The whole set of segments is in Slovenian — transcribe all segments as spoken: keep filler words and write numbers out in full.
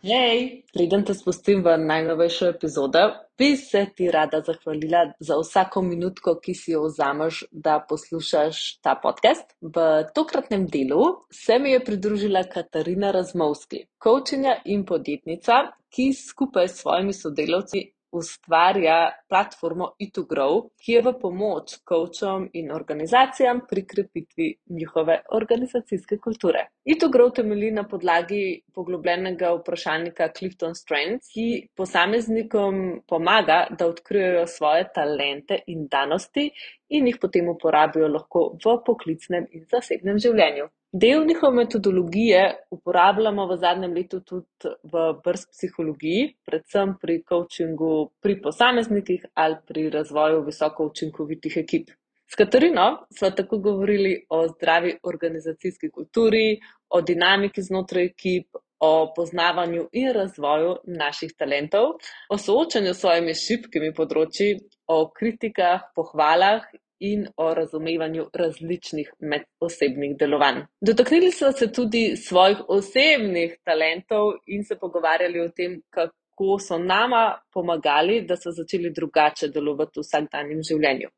Hej, preden te spustim v najnovejšo epizodo, bi se ti rada zahvalila za vsako minutko, ki si jo vzameš, da poslušaš ta podcast. V tokratnem delu se mi je pridružila Katarina Razmovski, coachinja in podjetnica, ki skupaj s svojimi sodelavci ustvarja platformo E to Grow, ki je v pomoč coachom in organizacijam pri krepitvi njihove organizacijske kulture. E to Grow temelji na podlagi poglobljenega vprašalnika Clifton Strengths, ki posameznikom pomaga, da odkrijejo svoje talente in danosti in jih potem uporabijo lahko v poklicnem in zasebnem življenju. Del njihove metodologije uporabljamo v zadnjem letu tudi v brz psihologiji, predvsem pri coachingu pri posameznikih ali pri razvoju visoko učinkovitih ekip. S Katarino sva tako govorili o zdravi organizacijski kulturi, o dinamiki znotraj ekip, o poznavanju in razvoju naših talentov, o soočanju s svojimi šibkimi področji, o kritikah, pohvalah in o razumevanju različnih medosebnih delovanj. Dotaknili smo se tudi svojih osebnih talentov in se pogovarjali o tem, kako so nama pomagali, da so začeli drugače delovati v vsakdanjem življenju.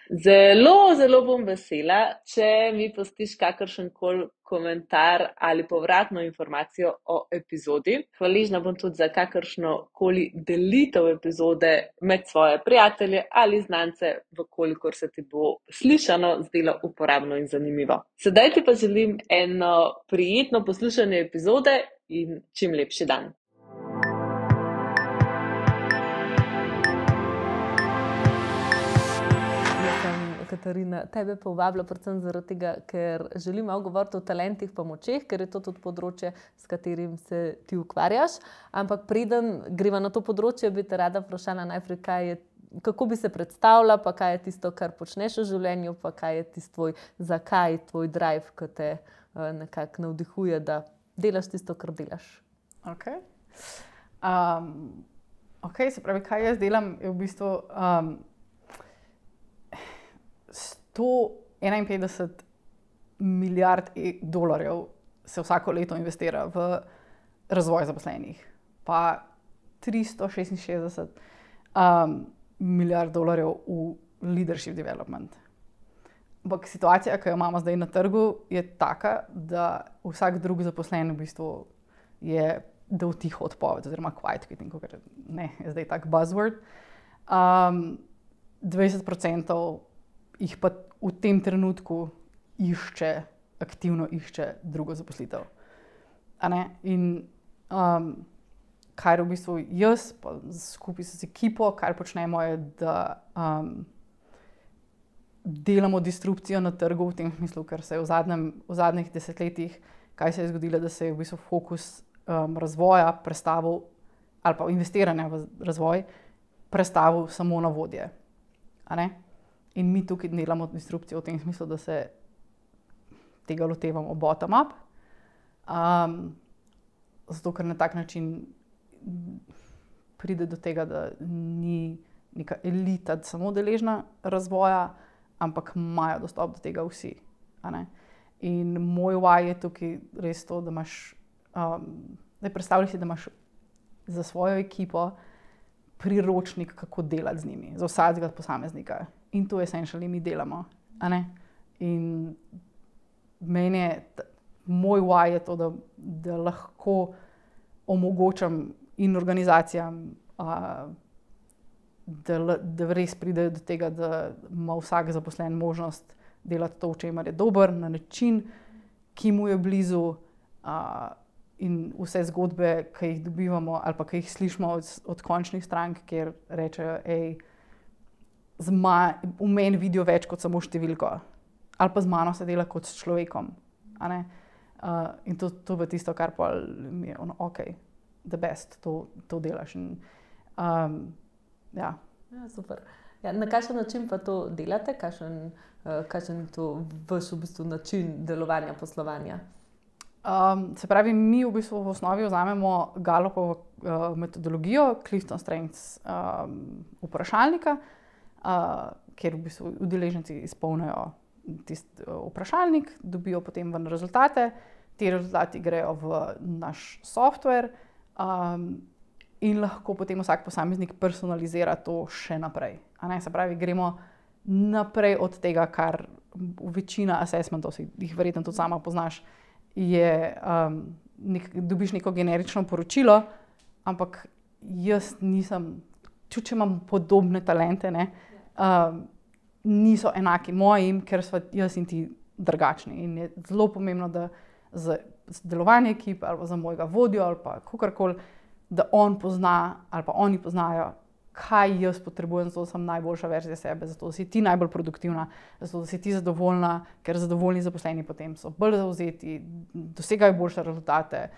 Zelo, zelo bom vesela, če mi pustiš kakršenkoli komentar ali povratno informacijo o epizodi. Hvaležna bom tudi za kakršno koli delitev epizode med svoje prijatelje ali znance, vkolikor se ti bo slišano zdelo uporabno in zanimivo. Sedaj ti pa želim eno prijetno poslušanje epizode in čim lepši dan. Katarina, tebe povabila predvsem zaradi tega, ker želim malo govoriti o talentih pa močeh, ker je to tudi področje, s katerim se ti ukvarjaš. Ampak preden greva na to področje, bi te rada vprašala najprej, kaj je, kako bi se predstavila, pa kaj je tisto, kar počneš v življenju, pa kaj je tisto tvoj, zakaj tvoj drive, ki te uh, nekako navdihuje, da delaš tisto, kar delaš. Ok. Um, ok, se pravi, kaj jaz delam, je v bistvu... Um, sto enainpetdeset milijard dolarjev se vsako leto investira v razvoj zaposlenih, pa tristo šestinšestdeset um, milijard dolarjev v leadership development. Ampak situacija, ki jo imamo zdaj na trgu, je taka, da vsak drug zaposlen v bistvu je dal tiho odpoved, oziroma quiet quitting, ker ne, je zdaj tak buzzword. Um, dvajset procentov jih pa v tem trenutku išče, aktivno išče drugo zaposlitev. A ne? In um, kar v bistvu jaz, pa skupaj s ekipo, kar počnemo je, da um, delamo disrupcijo na trgu v tem smislu, ker se je v, zadnjem, v zadnjih desetletjih, kaj se je zgodilo, da se je v bistvu fokus um, razvoja prestavil, ali pa investiranja v razvoj, prestavil samo na vodje. A ne? In mi tukaj delamo disrupcijo v tem smislu, da se tega lotevamo bottom-up. Um, zato, ker na tak način pride do tega, da ni neka elita samo deležna razvoja, ampak imajo dostop do tega vsi. A ne? In moj why je tukaj res to, da imaš, um, da predstavljaj si, da imaš za svojo ekipo priročnik, kako delati z njimi, za vsakega posameznika. In to essentially mi delamo. A ne? In meni je, moj why je to, da, da lahko omogočam in organizacijam, a, da, da res pridejo do tega, da ima vsak zaposlen možnost delati to, v čemer je dober, na način, ki mu je blizu, a, in vse zgodbe, ki jih dobivamo ali pa ki jih slišimo od, od končnih strank, kjer rečejo, ej, z ma, v meni vidijo več kot samo številko. Ali pa z mano se dela kot s človekom. A ne? Uh, in to, to je tisto, kar pa mi je ono, ok, the best, to, to delaš. In, um, ja. Ja, super. Ja, na kakšen način pa to delate? Kakšen, uh, kakšen je to vaš v bistvu način delovanja, poslovanja? Um, se pravi, mi v bistvu v osnovi vzamemo Gallupovo uh, metodologijo, Clifton Strengths um, vprašalnika, Uh, kjer v bistvu udeleženci izpolnijo tisti uh, vprašalnik, dobijo potem ven rezultate, ti rezultati grejo v naš software, Um, in lahko potem vsak posameznik personalizira to še naprej. A ne, se pravi, gremo naprej od tega, kar večina assessmentov, si jih verjetno tudi sama poznaš, je, um, nek, dobiš neko generično poročilo, ampak jaz nisem, tudi če imam podobne talente, ne, um, niso enaki mojim, ker so jaz in ti drugačni. In je zelo pomembno, da za delovanje ekipe ali za mojega vodjo ali pa kakorkoli, da on pozna ali pa oni poznajo, kaj jaz potrebujem, zato da sem najboljša verzija sebe, zato da si ti najbolj produktivna, zato da si ti zadovoljna, ker zadovoljni zaposleni potem so bolj zavzeti, dosegajo boljše rezultate,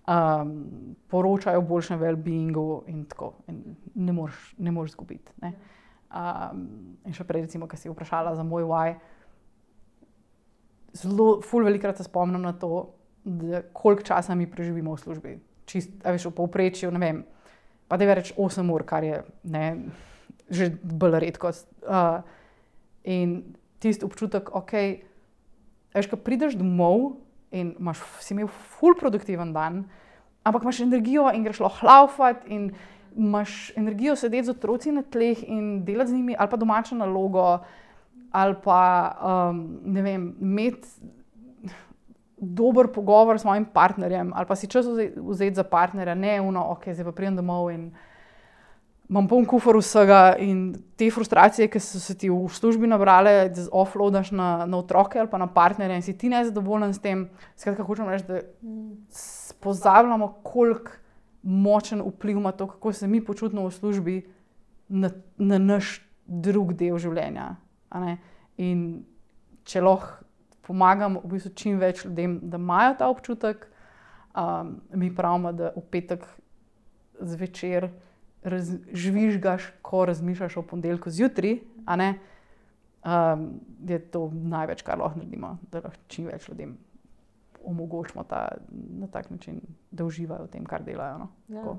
um, poročajo o boljšem well-beingu in tako. In ne moreš, ne moreš izgubiti. Ne? Um, in še prej, recimo, ko si vprašala za moj why, zelo, ful velikrat se spomnim na to, da koliko časa mi preživimo v službi. Čist, a veš, v povprečju, ne vem, pa da je več osem ur, kar je, ne, že bolj redkost. Uh, in tisti občutek, ok, veš, ko prideš domov in imaš, si imel ful produktiven dan, ampak imaš energijo in greš lahko laufat in imaš energijo sedeti z otroci na tleh in delati z njimi, ali pa domačo nalogo, ali pa, um, ne vem, imeti dober pogovor s mojim partnerjem, ali pa si čas vzeti za partnerja, ne uno, ok, zdaj pa pridem domov in imam poln kufer vsega in te frustracije, ki so se ti v službi nabrale, da offloadaš na, na otroke ali pa na partnerja in si ti nezadovoljen s tem. Skratka, hočem reči, da pozabljamo, koliko močen vpliv ima to, kako se mi počutimo v službi na, na naš drug del življenja. A ne? In če lahko pomagam v bistvu čim več ljudem, da imajo ta občutek, um, mi pravimo, da v petek zvečer raz, žvižgaš, ko razmišljaš o ponedeljku zjutraj, a ne, um, je to največ, kar lahko naredimo, da lahko čim več ljudem omogočimo ta, na tak način, da uživajo v tem, kar delajo. No? Ja.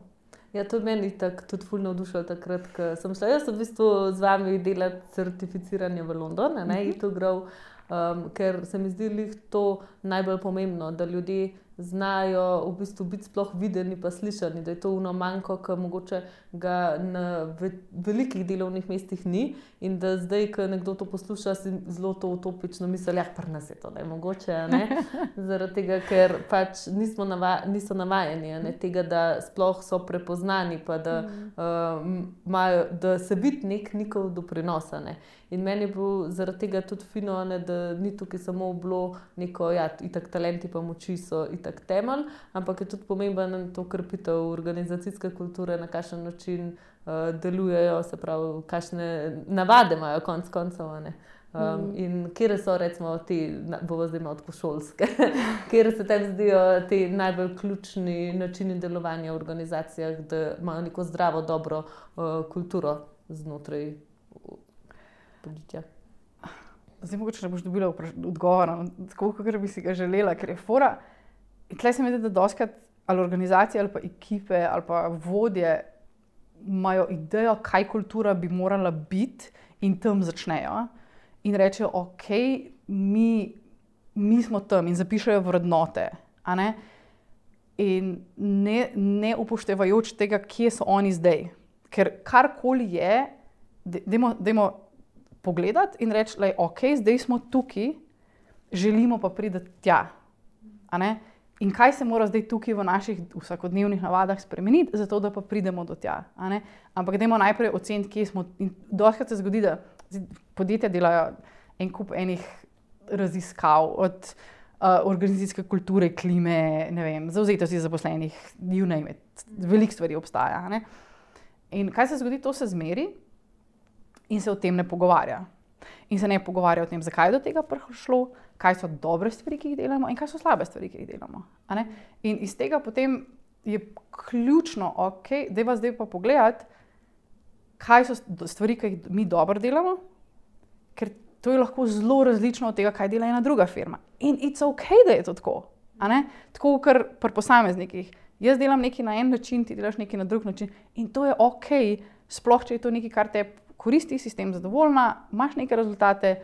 Ja, to meni tako tudi ful navdušilo takrat, ko sem šla jaz v bistvu z vami delati certificiranje v London, ne, mm-hmm. to grow, um, ker se mi zdi lih to najbolj pomembno, da ljudje znajo v bistvu biti sploh videni pa slišani, da je to ono manjko, ki mogoče ga na ve velikih delovnih mestih ni in da zdaj, ko nekdo to posluša, si zelo to utopično misli, ja, pri nas je to ne mogoče, ne? Zaradi tega, ker pač nismo nava niso navajeni, ne? Tega, da sploh so prepoznani, pa da, uh, majo, da se biti nek njihov doprinosa, ne? In meni je bilo zaradi tega tudi fino, ne, da ni tukaj samo bilo neko, ja, itak talenti pa moči so itak temelj, ampak je tudi pomemben to krepitev organizacijske kulture, na kakšen način uh, delujejo, se pravi, kakšne navade imajo konc koncev, ne. Um, mm. In kjer so recimo ti, bomo zdaj malo šolske, kjer se tem zdijo ti najbolj ključni načini delovanja v organizacijah, da imajo neko zdravo, dobro uh, kulturo znotraj podjetja. Zdaj mogoče ne boš dobila odgovora, tako kot bi si ga želela, ker je fora. Tle se mi zdi, da dostikrat ali organizacije ali pa ekipe ali pa vodje imajo idejo, kaj kultura bi morala biti in tam začnejo in rečejo, ok, mi, mi smo tam in zapišejo vrednote, a ne? In ne, ne upoštevajoč tega, kje so oni zdaj. Ker karkoli je, dajmo, dajmo pogledati in reči, da je ok, zdaj smo tukaj, želimo pa priti tja. A ne? In kaj se mora zdaj tukaj v naših vsakodnevnih navadah spremeniti, zato da pa pridemo do tja. A ne? Ampak dajmo najprej oceniti, kje smo. In dostikrat se zgodi, da podjetja delajo en kup enih raziskav od uh, organizacijske kulture, klime, ne vem, zavzetosti zaposlenih, you name it. Veliko stvari obstaja. A ne? In kaj se zgodi, to se zmeri in se o tem ne pogovarja. In se ne pogovarja o tem, zakaj je do tega prišlo, kaj so dobre stvari, ki jih delamo in kaj so slabe stvari, ki jih delamo. A ne? In iz tega potem je ključno, ok, dajva zdaj pa pogledati, kaj so stvari, ki jih mi dobro delamo, ker to je lahko zelo različno od tega, kaj dela ena druga firma. In it's ok, da je to tako. A ne? Tako, ker pri posameznikih. Jaz delam nekaj na en način, ti delaš nekaj na drug način in to je ok, sploh če je to nekaj, kar te koristi, si s tem zadovoljna, imaš neke rezultate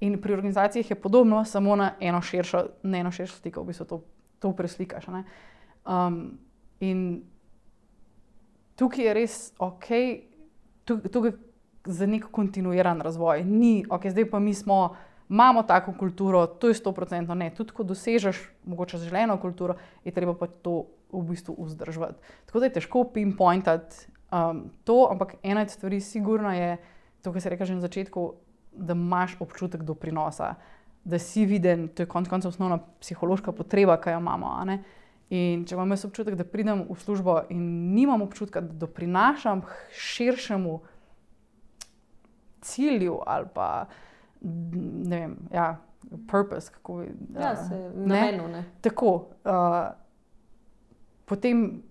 in pri organizacijah je podobno, samo na eno širšo, na eno širšo sliko, v bistvu to, to preslikaš. Ne? Um, in tukaj je res ok, tukaj, tukaj za nek kontinuiran razvoj. Ni, ok, zdaj pa mi smo, imamo tako kulturo, to je sto procentno ne. Tudi ko dosežeš mogoče želeno kulturo, je treba pa to v bistvu vzdrževati. Tako da je težko pinpointati um, to, ampak ena od stvari sigurno je, to, kar se reka že na začetku, da imaš občutek doprinosa, da si viden, to je konec koncev osnovna psihološka potreba, ki jo imamo. A ne? In če imam jaz občutek, da pridem v službo in nimam občutka, da doprinašam širšemu cilju ali pa ne vem, ja, purpose, kako bi... Ja, se namenu, ne. Tako, uh, potem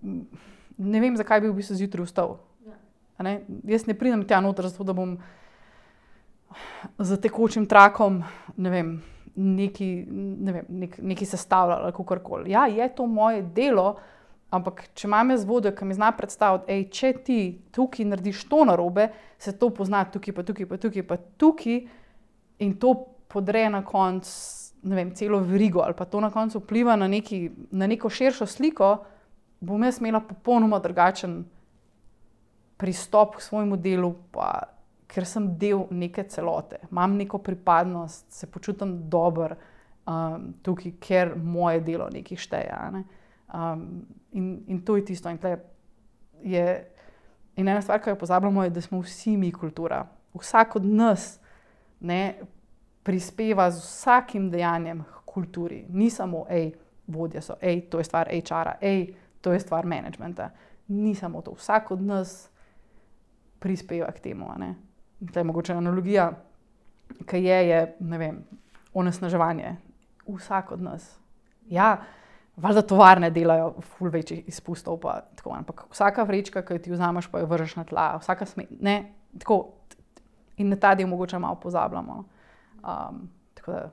ne vem, zakaj bi v bistvu zjutraj vstal. A ne? Jaz ne pridem tja noter, zato da bom za tekočim trakom, ne vem, neki, ne vem, nek, neki sestavljala ali kakorkoli. Ja, je to moje delo, ampak če imam jaz vodjo, ki mi zna predstaviti, ej, če ti tukaj narediš to narobe, se to pozna tukaj, pa tukaj, pa tukaj, pa tukaj in to podre na konc, ne vem, celo verigo ali pa to na koncu vpliva na, neki, na neko širšo sliko, bom jaz imela popolnoma drugačen pristop k svojemu delu, pa ker sem del neke celote. Imam neko pripadnost, se počutim dober um, tukaj, ker moje delo nekaj šteje. Ne? Um, in, in to je tisto. In, je, in ena stvar, ki jo pozabljamo, je, da smo vsi mi kultura. Vsak od nas ne, prispeva z vsakim dejanjem k kulturi. Ni samo, ej, vodje so, ej, to je stvar H R-a, ej, to je stvar managementa. Ni samo to. Vsak od nas prispeva k temu. Ne? To je mogoče analogija, ki je, je, ne vem, onesnaževanje. Vsak od nas. Ja, valjda tovarne delajo ful večjih izpustov, pa tako, ampak vsaka vrečka, ki jo ti vzameš, pa jo vržeš na tla, vsaka sme, ne, tako, in na ta del mogoče malo pozabljamo. Um, tako da...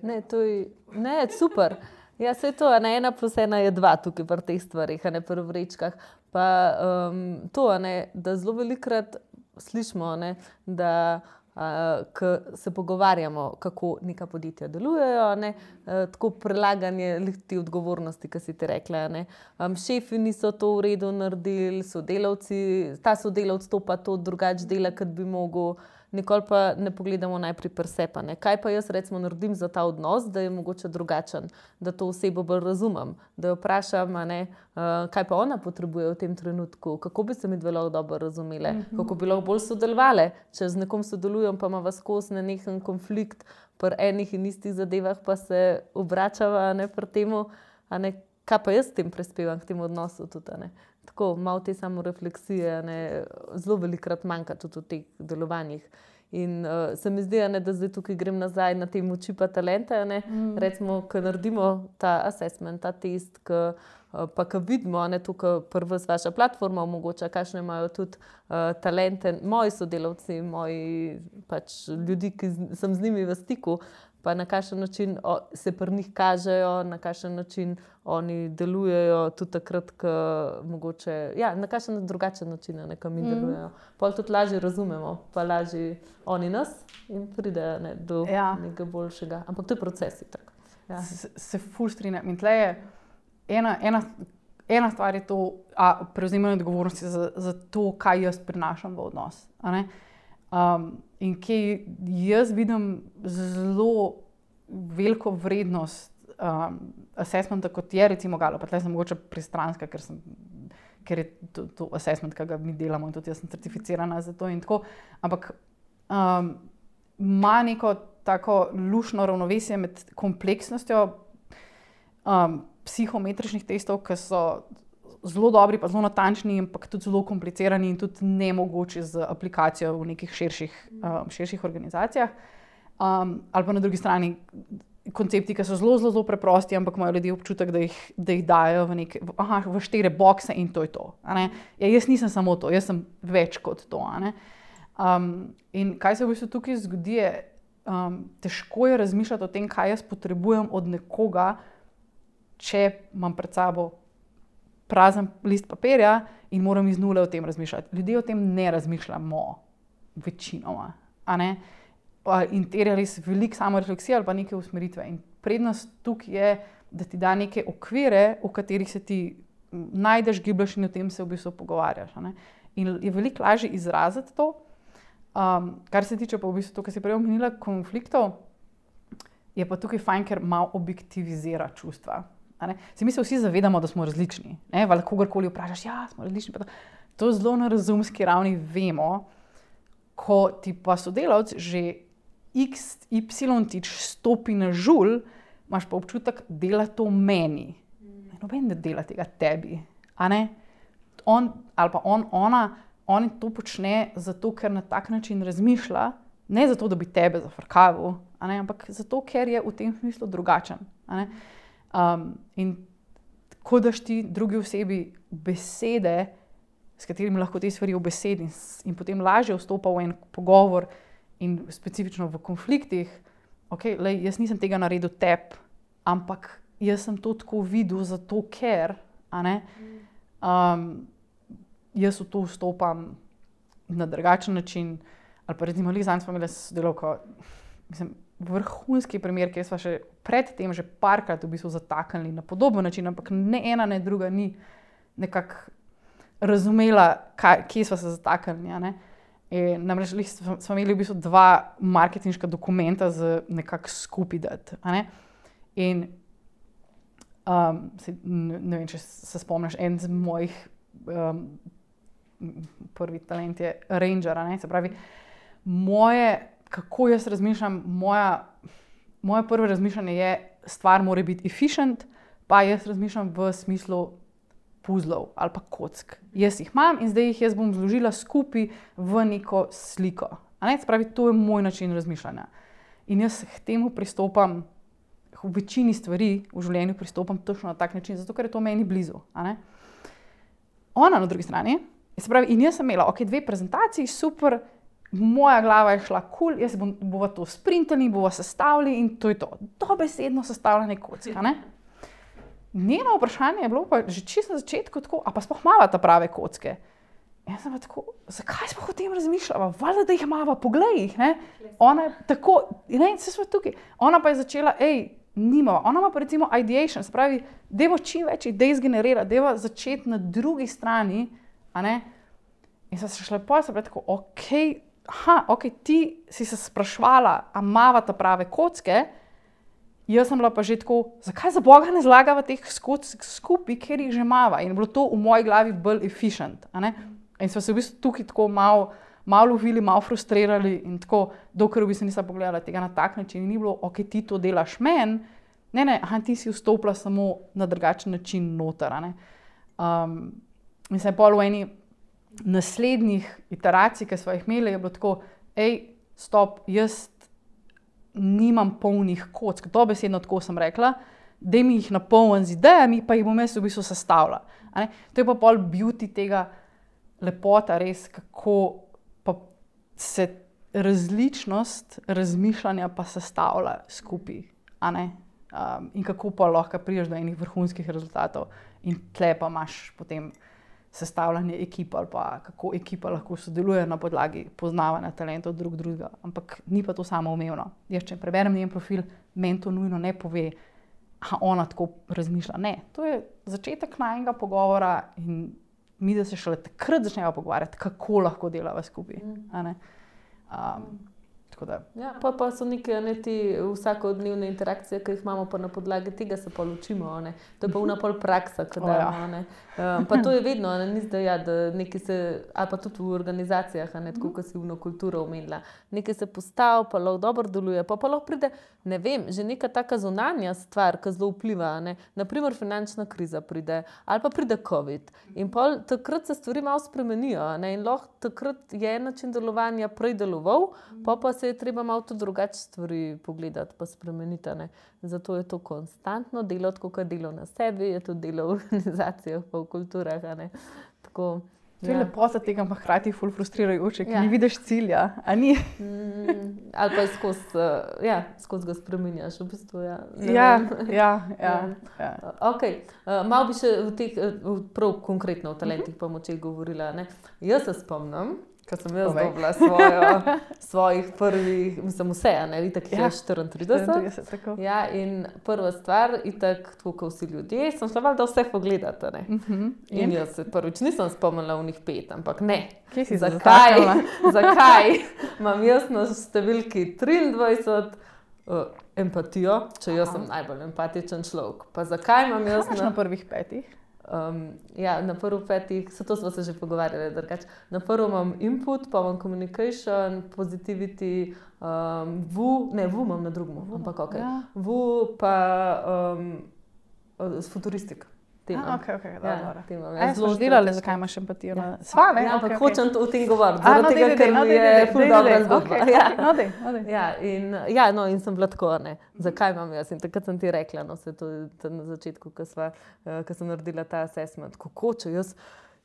Ne, to je, ne, super. Ja, se je to, ne, ena plus ena je dva tukaj pri teh stvarih, a ne pri vrečkah. Pa um, to, ne, da zelo velikrat slišimo, ne, da uh, ko se pogovarjamo, kako neka podjetja delujejo, ne, uh, tako prelaganje te odgovornosti, ki si ti rekla. Ne. Um, šefi niso to v redu naredili, sodelavci, ta sodelavc to pa to drugače dela, kot bi mogel. Nikoli pa ne pogledamo najprej pri sebi, ne. Kaj pa jaz recimo naredim za ta odnos, da je mogoče drugačen, da to osebo bolj razumem, da jo vprašam, a ne, uh, kaj pa ona potrebuje v tem trenutku, kako bi se mi dve lahko dobro razumele, mm-hmm. kako bi lahko bolj sodelovale, če z nekom sodelujem, pa ima vas skozi nenehen konflikt pri enih in istih zadevah, pa se obračava, ne, pri temu, a ne, kaj pa jaz s tem prispevam k temu odnosu tudi, a ne. Tako, malo te samorefleksije, ne, zelo velikrat manjka tudi v teh delovanjih. In uh, se mi zdi, ne, da zdaj tukaj grem nazaj na te moči pa talente, ne, mm. recimo, ko naredimo ta assessment, ta test, ko, uh, pa ko vidimo, ne, tukaj prva vaša platforma omogoča, kakšne imajo tudi uh, talente, moji sodelavci, moji pač ljudi, ki z, sem z njimi v stiku, pa na kakšen način o, se pri njih kažejo, na kakšen način oni delujejo, tudi takrat, ko mogoče, ja, na kakšen drugačen način, ne, ko mi mm. delujejo. Pol tudi lažje razumemo, pa lažje oni nas in pridejo, ne, do ja. nekega boljšega. Ampak to je proces. Ja. Se, se ful strinjam. In tle je ena, ena, ena stvar je to, a prevzemanje odgovornosti za, za to, kaj jaz prinašam v odnos. A ne? Um, in kaj jaz vidim zelo veliko vrednost um, assessmenta, kot je recimo Galo, pa tle sem mogoče pristranska, ker, sem, ker je to, to assessment, ki ga mi delamo in tudi jaz sem certificirana za to in tako, ampak um, ima neko tako lušno ravnovesje med kompleksnostjo um, psihometričnih testov, ki so zelo dobri, pa zelo natančni, ampak tudi zelo komplicirani in tudi nemogoči z aplikacijo v nekih širših, um, širših organizacijah. Um, ali pa na drugi strani koncepti, ki so zelo, zelo, zelo preprosti, ampak imajo ljudje občutek, da jih, da jih dajo v, neke, aha, v štiri bokse in to je to. A ne? Ja, jaz nisem samo to, jaz sem več kot to. A ne? Um, in kaj se v bistvu tukaj zgodi, je um, težko je razmišljati o tem, kaj jaz potrebujem od nekoga, če imam pred sabo prazen list papirja in moram iz nule o tem razmišljati. Ljudje o tem ne razmišljamo večinoma. A ne? In terja res veliko samorefleksije ali pa neke usmeritve. In prednost tukaj je, da ti da neke okvire, v katerih se ti najdeš, gibljaš in o tem se v bistvu pogovarjaš. A ne? In je veliko lažje izraziti to. Um, kar se tiče pa v bistvu to, kar si prej omenila, konfliktov, je pa tukaj fajn, ker malo objektivizira čustva. Se mi se vsi zavedamo, da smo različni. Val kogarkoli vprašaš, ja, smo različni. To, to zelo na razumski ravni vemo, ko ti pa sodelavc že x, y tič stopi na žul, imaš pa občutek, dela to meni. Noben ne dela tega tebi. A ne? On ali pa on, ona, on to počne zato, ker na tak način razmišlja, ne zato, da bi tebe zafrkavil, a ne? Ampak zato, ker je v tem smislu drugačen. A ne? Um, in ko daš ti drugi osebi besede, s katerimi lahko te stvari obesedi in, in potem lažje vstopa v en pogovor in specifično v konfliktih, ok, lej, jaz nisem tega naredil tebi, ampak jaz sem to tako videl zato, ker, a ne, um, jaz v to vstopam na drugačen način, ali pa recimo zanj smo imeli sodelavko, mislim, vrhunski primer, kjer smo še predtem že parkrat v bistvu zataknili na podoben način, ampak ne ena, ne druga ni nekako razumela, kaj, kje smo se zataknili. Ne? In namreč smo imeli v bistvu dva marketinška dokumenta z nekako skupaj dati. Ne? In um, se, ne vem, če se spomniš, en z mojih um, prvi talent je ranger, ne? Se pravi, moje kako jaz razmišljam, moja, moje prvo razmišljanje je, stvar mora biti efficient, pa jaz razmišljam v smislu puzlov ali pa kock. Jaz jih imam in zdaj jih jaz bom zložila skupaj v neko sliko. A ne? Se pravi, to je moj način razmišljanja. In jaz k temu pristopam, v večini stvari v življenju pristopam točno na tak način, zato ker je to meni blizu. A ne? Ona na drugi strani, se pravi, in jaz sem imela, ok, dve prezentaciji, super, moja glava je šla kul, cool, jaz bom, bova to sprintali, bova sestavili in to je to. Dobesedno sestavljanje kocka, ne? Njeno vprašanje je bilo pa že čisto na začetku tako, a pa sploh mava ta prave kocke? Jaz sem pa tako, zakaj sploh o tem razmišljala? Valjda, da jih mava, poglej jih, ne? Ona je tako, ne, se smo tukaj. Ona pa je začela, ej, nimava. Ona ima pa recimo ideation, se pravi, dajmo čim več idej zgenerirati, dajmo začeti na drugi strani, a ne? In sem se šla pa, sem bila tako, okej, okay, aha, ok, ti si se sprašvala, a mava ta prave kocke, jaz sem bila pa že tako, zakaj za Boga ne zlagava teh kock skupaj, ker jih že mava. In je bilo to v moji glavi bolj efficient. A ne? In smo se v bistvu tukaj tako malo, malo lovili, malo frustrirali in tako, dokler v bistvu nisem pogledala tega na tak način. In ni bilo, ok, ti to delaš men, ne, ne, aha, ti si vstopila samo na drugačen način noter. A ne? Um, in se je pol v eni naslednjih iteracij, ki smo jih imeli, je bilo tako, ej, stop, jaz nimam polnih kock, dobesedno tako sem rekla, daj mi jih napolnim z idejami, pa jih bom jaz v bistvu sestavila. A ne? To je pa pol beauty tega lepota res, kako pa se različnost razmišljanja pa sestavlja skupaj. A ne? Um, in kako pa lahko prideš do enih vrhunskih rezultatov in tle pa imaš potem sestavljanje ekipa ali pa kako ekipa lahko sodeluje na podlagi poznavanja talentov drug drugega. Ampak ni pa to samoumevno. Jaz, če preberem njen profil, meni to nujno ne pove, a ona tako razmišlja. Ne, to je začetek najnega pogovora in mi, da se šele takrat začneva pogovarjati, kako lahko delava skupaj. A ne? Um, tako da. Ja, pa, pa so neke ne, ti vsakodnevne interakcije, ki jih imamo, pa na podlagi tega se pa učimo. Ne? To je pa una pol praksa, ki damo. Ne? Um, pa to je vedno, ne, ni zdaj, ja, da nekaj se, ali pa tudi v organizacijah, ne, tako kot si vno kulturo omenila, nekaj se postavi, pa lahko dobro deluje, pa pa lahko pride, ne vem, že neka taka zunanja stvar, ki zelo vpliva, ne? Naprimer finančna kriza pride, ali pa pride COVID. In pol takrat se stvari malo spremenijo, ne? In lahko takrat je en način delovanja prej deloval, pa pa se je treba malo tudi drugače stvari pogledati, pa spremeniti, ne? Zato je to konstantno delo, tako kot delo na sebi, je to delo v organizacijah, pa v kulturah, a ne? Tako, to je ja. Lepota tega, pa hkrati ful frustrirajoče, ker ja. Ni vidiš cilja, a ni? Mm, ali pa skozi, ja, skozi ga spreminjaš, v bistvu, ja. Ja, ja, ja, ja. Ok, uh, malo bi še v teh, uh, prav konkretno o talentih pa močeh govorila, ne? Jaz se spomnim, Ko sem jaz dobila svojo, svojih prvih, mislim, vse, ne, itak jih je štiriintrideset. štiriintrideset, tako. Ja, in prva stvar, itak, tako kot vsi ljudje, sem šla valjda vse pogledati, ne. Mhm. In In? jaz se prvič nisem spomnila v njih pet, ampak ne. Kje si se Zakaj, zataknila? zakaj imam jaz na številki triindvajset uh, empatijo, če jaz sem najbolj empatičen človek. Pa zakaj imam jaz Kaj imaš na... na prvih petih? Um, ja, na prvo petih, se to smo se že pogovarjali, drugače. Na prvo imam input, pa imam communication, positivity, um, vu, ne, vu imam na drugem, ampak ok. Ja. Vu pa um, futuristik. A, ok, ok, dobro, Ja, dobro. te imam. A, Ja, ja, zelo smo že delali, strateško. zakaj imaš empatijo? Ja. na- Sva, ne? Ja, ampak Ok, ok. hočem o tem govoriti, A, zaradi no, tega, dej, ker dej, no, mi dej, je dej, ful dej, dobra dej, zgodba. okej, Ja. No, dej, no, dej. Ja, in, ja, no, in sem bila tako, ne, zakaj imam jaz? In takrat sem ti rekla, no, se to na začetku, ko, sva, uh, ko sem naredila ta assessment, kako če jaz,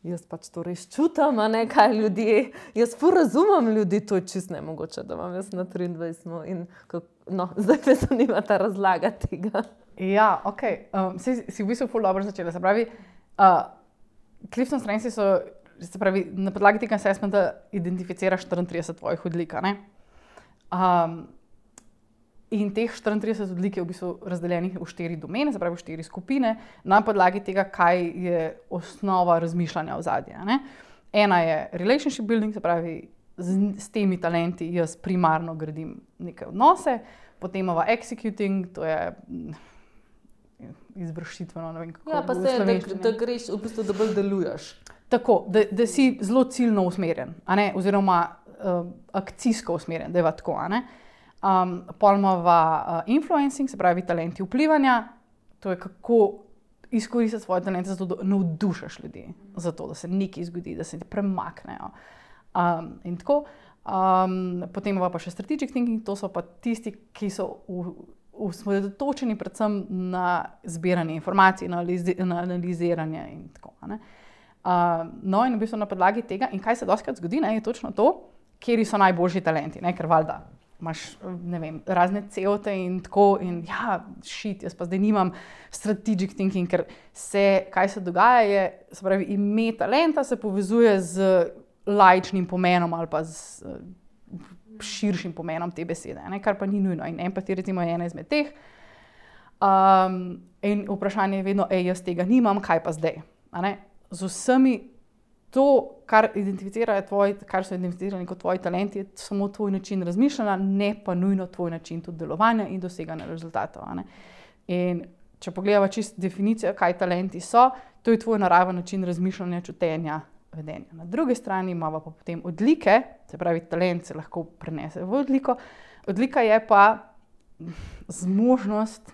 jaz pač to res čutim, a ne, kaj ljudje, jaz ful razumem ljudi, to je čist nemogoče, da imam jaz na triindvajset, in kako, no, zdaj me zanima ta razlaga tega. Ja, ok. Um, si, si v bistvu ful dobro začela. Se pravi, uh, Clifton Strengths so, se pravi, na podlagi tega assessmenta identificiraš štiriintrideset tvojih odlik, a ne? Um, in teh štiriintrideset odlik je v bistvu razdeljenih v štiri domene, se pravi v štiri skupine, na podlagi tega, kaj je osnova razmišljanja ozadja, a ne? Ena je relationship building, se pravi, z, s temi talenti jaz primarno gradim neke odnose, potem imamo executing, to je mm, izvršitveno, ne vem kako Ja, pa v se, da, slovenščini. da greš, v bistvu, da bolj deluješ. Tako, da, da si zelo ciljno usmerjen, a ne, oziroma uh, akcijsko usmerjen, da je tako, a ne. Um, pol imava uh, influencing, se pravi talenti vplivanja, to je kako izkoristiti svoje talente zato, da navdušaš ljudi, zato, da se nekaj zgodi, da se ti premaknejo. Um, in tako. Um, potem imamo pa še strategic thinking, to so pa tisti, ki so v, osredotočeni predvsem na zbiranje informacij, na, analizi, na analiziranje in tako. A ne. Uh, no, in v bistvu na podlagi tega, in kaj se dostikrat zgodi, ne, je točno to, kjeri so najboljši talenti, ne, ker valjda imaš, ne vem, razne ceote in tako, in ja, shit, jaz pa zdaj nimam strategic thinking, ker se, kaj se dogaja je, se pravi, ime talenta se povezuje z laičnim pomenom ali pa z uh, širšim pomenom te besede, ne, kar pa ni nujno. In empatija recimo je ena izmed teh. Um, in vprašanje je vedno, ej, jaz tega nimam, kaj pa zdaj? A ne? Z vsemi to, kar identificirajo tvoji, kar so identificirani kot tvoji talenti, je samo tvoj način razmišljanja, ne pa nujno tvoj način tudi delovanja in doseganja rezultatov. A ne? In če pogledamo čisto definicijo, kaj talenti so, to je tvoj naraven način razmišljanja, čutenja, vedenja. Na drugi strani imamo pa potem odlike, se pravi, talent se lahko prenese v odliko. Odlika je pa zmožnost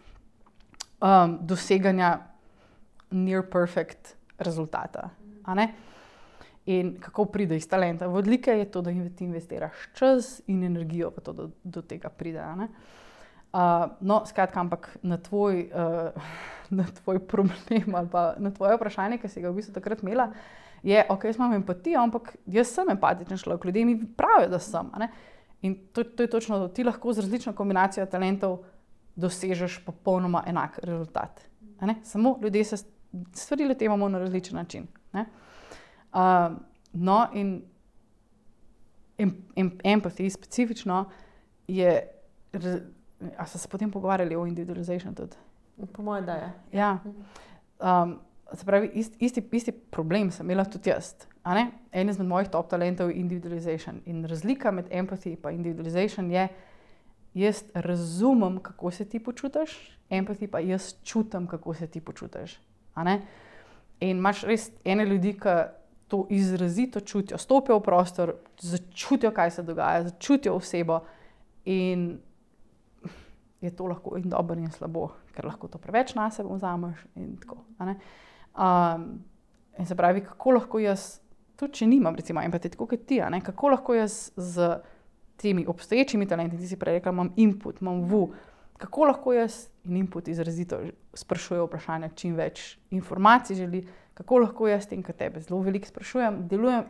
um, doseganja near perfect rezultata. A ne? In kako pride iz talenta v odlike, je to, da ti investiraš čas in energijo, pa to do, do tega pride. A ne? Uh, no, skratka, ampak na tvoj, uh, na tvoj problem ali pa na tvoje vprašanje, ki si ga v bistvu takrat imela, je, ok, jaz imam empatijo, ampak jaz sem empatičen človek, ljudje mi pravijo, da sem. A ne? In to, to je točno to, ti lahko z različno kombinacijo talentov dosežeš popolnoma enak rezultat. A ne? Samo ljudje se stvari lotevamo na različen način. Ne? Uh, no, in em, em, empathy specifično je, a so se potem pogovarjali o individualization tudi? Po mojem, da je. Ja. Um, se pravi, ist, isti, isti problem sem imela tudi jaz. A ne? En izmed mojih top talentov je individualization. In razlika med empathy in individualization je, jaz razumem, kako se ti počutiš, empathy pa jaz čutim, kako se ti počutiš. A ne? In imaš res ene ljudi, ki to izrazito čutijo, stopijo v prostor, začutijo, kaj se dogaja, začutijo osebo in je to lahko in dobro in slabo, ker lahko to preveč na sebe vzameš in tako. A ne? Um, in se pravi, kako lahko jaz, tudi če nimam recimo empatije, tako kot ti, a ne? Kako lahko jaz z temi obstoječimi talenti, ti si prej rekla, imam input, imam vu, kako lahko jaz in input izrazito sprašujejo vprašanja, čim več informacij želi, kako lahko jaz tem, kar tebe zelo veliko sprašujem, delujem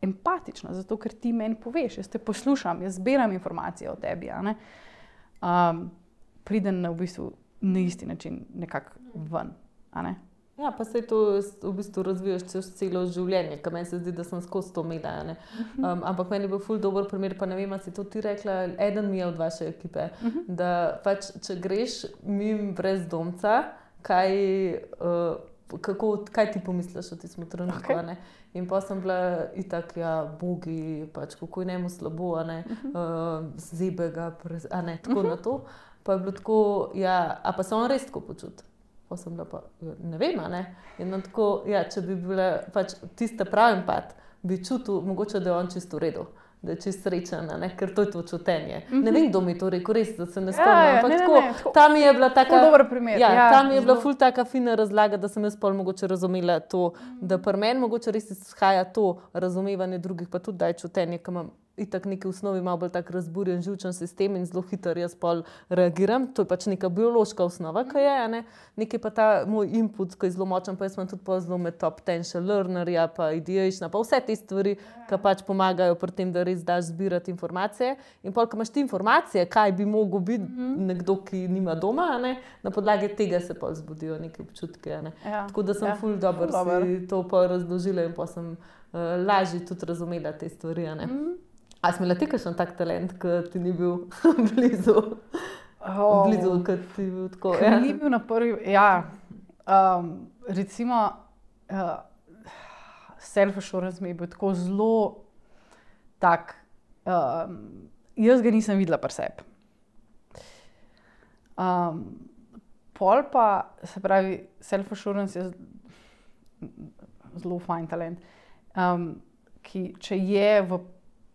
empatično, zato ker ti meni poveš, jaz te poslušam, jaz zbiram informacije o tebi, a ne? Um, pridem na v bistvu na isti način nekako ven, a ne? Ja, pa se to v bistvu razvijaš čez celo življenje, ker meni se zdi, da sem skozi to imela. Ne? Um, ampak meni je bil ful dober primer, pa ne vem, ali si to ti rekla, eden mi je od vaše ekipe, da pač, če greš mimo brezdomca, kaj, uh, kako, kaj ti pomisliš o tistem trenutku, okay. Ne? In pa sem bila itak, ja, bogi, pač kako je njemu slabo, a ne, uh, zebe ga, a ne, tako na to. Pa je bilo tako, ja, a pa se on res tako počuti. Pa sem bila pa, ne vem, ne. In tako, ja, če bi bila pač tista pravi empat, bi čutil, mogoče, da je on čisto v redu, da je čisto srečen, ne, ker to je to čutenje. Mm-hmm. Ne vem, kdo mi to rekel, res, da se ne spomnim, ja, ja, ampak ne, tako, ne, ne, tam je bila taka, dober primer. Ja, ja, tam je bila ful taka fina razlaga, da sem jaz pol mogoče razumela to, da pri meni mogoče res izhaja to razumevanje drugih, pa tudi daj čutenje, ki imam itak neki v osnovi malo bolj tak razburjen živčen sistem in zelo hitro jaz pol reagiram. To je pač neka biološka osnova, ki je, ne. Nekaj pa ta moj input, ki je zelo močen, pa jaz imam tudi pol zelo med top potential learnerja, pa ideation, pa vse te stvari, ki pač pomagajo pri tem, da res daš zbirati informacije. In pol, ko imaš ti informacije, kaj bi mogel biti mm-hmm. nekdo, ki nima doma, ne, na podlagi tega se pol zbudijo neke občutke, ne. Ja. Tako da sem ja. ful dobro si to pol razložila in pa sem uh, lažje tudi razumela te stvari, ne. Mm-hmm. A si imela ti kakšen tak talent, ki ti ni bil blizu? Oh, blizu, ki ti je bil tako? Ja. Ni bil na prvi, ja. Um, recimo, uh, self-assurance mi je bil tako zelo tak, um, jaz ga nisem videla pri sebi. Um, pol pa, se pravi, self-assurance je zelo fajn talent, um, ki če je v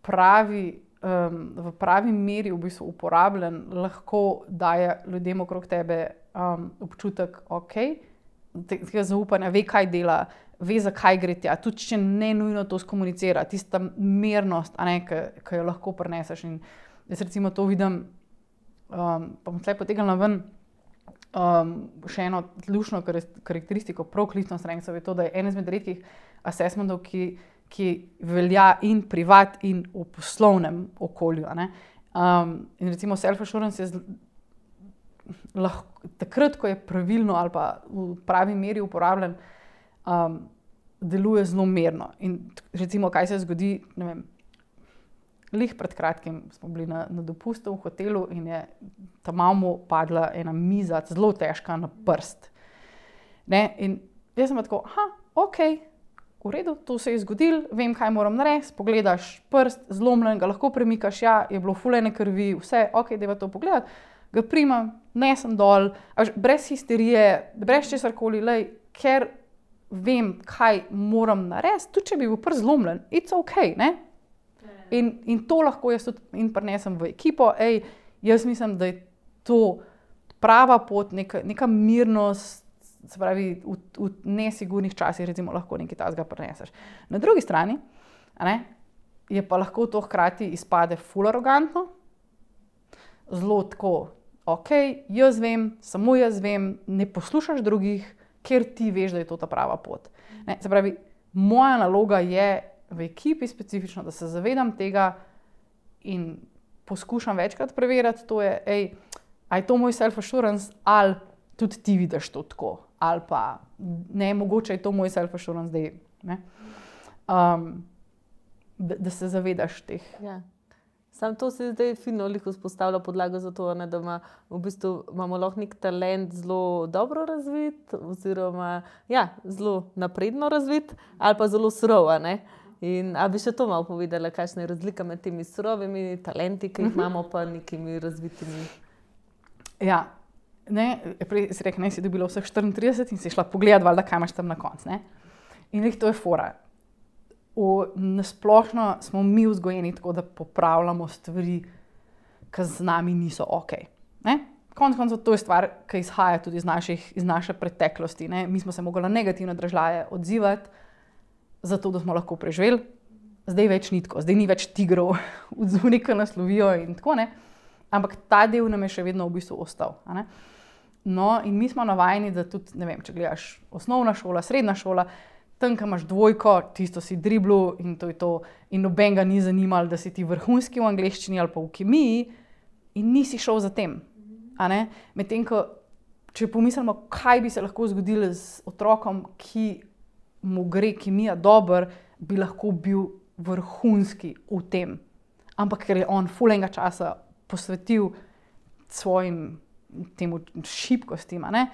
pravi, um, v pravi meri v bistvu uporabljen, lahko daje ljudem okrog tebe um, občutek, ok, tega zaupanja, ve, kaj dela, ve, zakaj gre tja, tudi če ne nujno to skomunicira, tista mernost, a ne, ki jo lahko prineseš. In jaz recimo to vidim, um, pa bom tle potegnila ven, um, še eno lušno karakteristiko proklicno strengthsov je to, da je en izmed redkih assessmentov, ki ki velja in privat in v poslovnem okolju. Ne? Um, in recimo self-assurance je zl... lahko, takrat, ko je pravilno ali pa v pravi meri uporabljen, um, deluje zelo merno. In recimo, kaj se zgodi, ne vem, lih pred kratkim smo bili na, na dopustu v hotelu in je tam mamu padla ena miza, zelo težka na prst. Ne? In jaz sem tako, aha, okej, okay. V redu, to se je zgodilo, vem, kaj moram narediti, pogledaš prst, zlomljen, ga lahko premikaš, ja, je bilo fulene krvi, vse, ok, dajva to pogledati, ga primam, nesem dol, brez histerije, brez česarkoli, lej, ker vem, kaj moram narediti, tudi če bi bil prst zlomljen, it's ok, ne? In, in to lahko jaz tudi in prinesem v ekipo, ej, jaz mislim, da je to prava pot, neka, neka mirnost, se pravi, v, v nesigurnih časih recimo lahko nekaj takega prineseš. Na drugi strani, a ne, je pa lahko to hkrati izpade ful arogantno, zelo tako, ok, jaz vem, samo jaz vem, ne poslušaš drugih, ker ti veš, da je to ta prava pot. Ne, se pravi, moja naloga je v ekipi specifično, da se zavedam tega in poskušam večkrat preverjati, to je, ej, a je to moj self-assurance ali tudi ti vidiš to tako. Ali pa ne, mogoče je to moj self-assurance zdaj, ne? Um, da, da se zavedaš teh. Ja. Sam to se zdaj fino lih vzpostavlja podlago za to, ne, da ima, v bistvu imamo lahko nek talent zelo dobro razvit, oziroma ja, zelo napredno razvit, ali pa zelo surov, ne? In a bi še to malo povedala, kakšna je razlika med temi surovimi talenti, ki jih imamo, pa nekimi razvitimi? Ja. Ne, prej si rekel, ne, si dobila vseh štiriintrideset in si šla pogledati, valjda, kaj imaš tam na koncu, ne. In to je fora. V, nasplošno smo mi vzgojeni tako, da popravljamo stvari, ki z nami niso ok. Ne. Konec koncev to je stvar, ki izhaja tudi iz, naših, iz naše preteklosti, ne. Mi smo se mogli negativno dražljaje odzivati, zato da smo lahko preživeli. Zdaj več ni tako, zdaj ni več tigrov v zunaj, ki nas lovijo in tako, ne. Ampak ta del nam je še vedno v bistvu ostal, a ne. No, in mi smo navajeni, da tudi, ne vem, če gledaš osnovna šola, srednja šola, tam, ko imaš dvojko, tisto si driblu in to je to. In noben ga ni zanimalo, da si ti vrhunski v angleščini ali pa v kemiji in nisi šel za tem. A ne? Medtem, ko če pomislimo, kaj bi se lahko zgodilo z otrokom, ki mu gre kemija dobro, bi lahko bil vrhunski v tem. Ampak ker je on ful enega časa posvetil svojim temu šibkostim, a ne?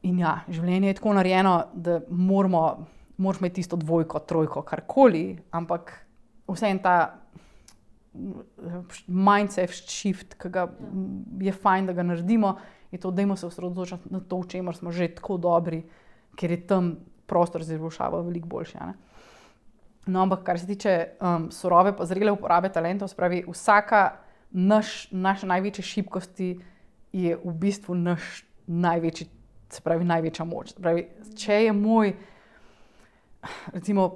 In ja, življenje je tako narejeno, da moramo, moraš imeti tisto dvojko, trojko, karkoli, ampak vseeno ta mindset shift, ki ga je fajn, da ga naredimo, je to, dajmo se osredotočiti na to, v čemer smo že tako dobri, ker je tam prostor za izboljšavo veliko boljši, a ne? No, ampak kar se tiče um, surove pa zrele uporabe talentov, spravi vsaka naš, naše največje šibkosti je v bistvu naš največji, se pravi največja moč. Spravi, če je moj recimo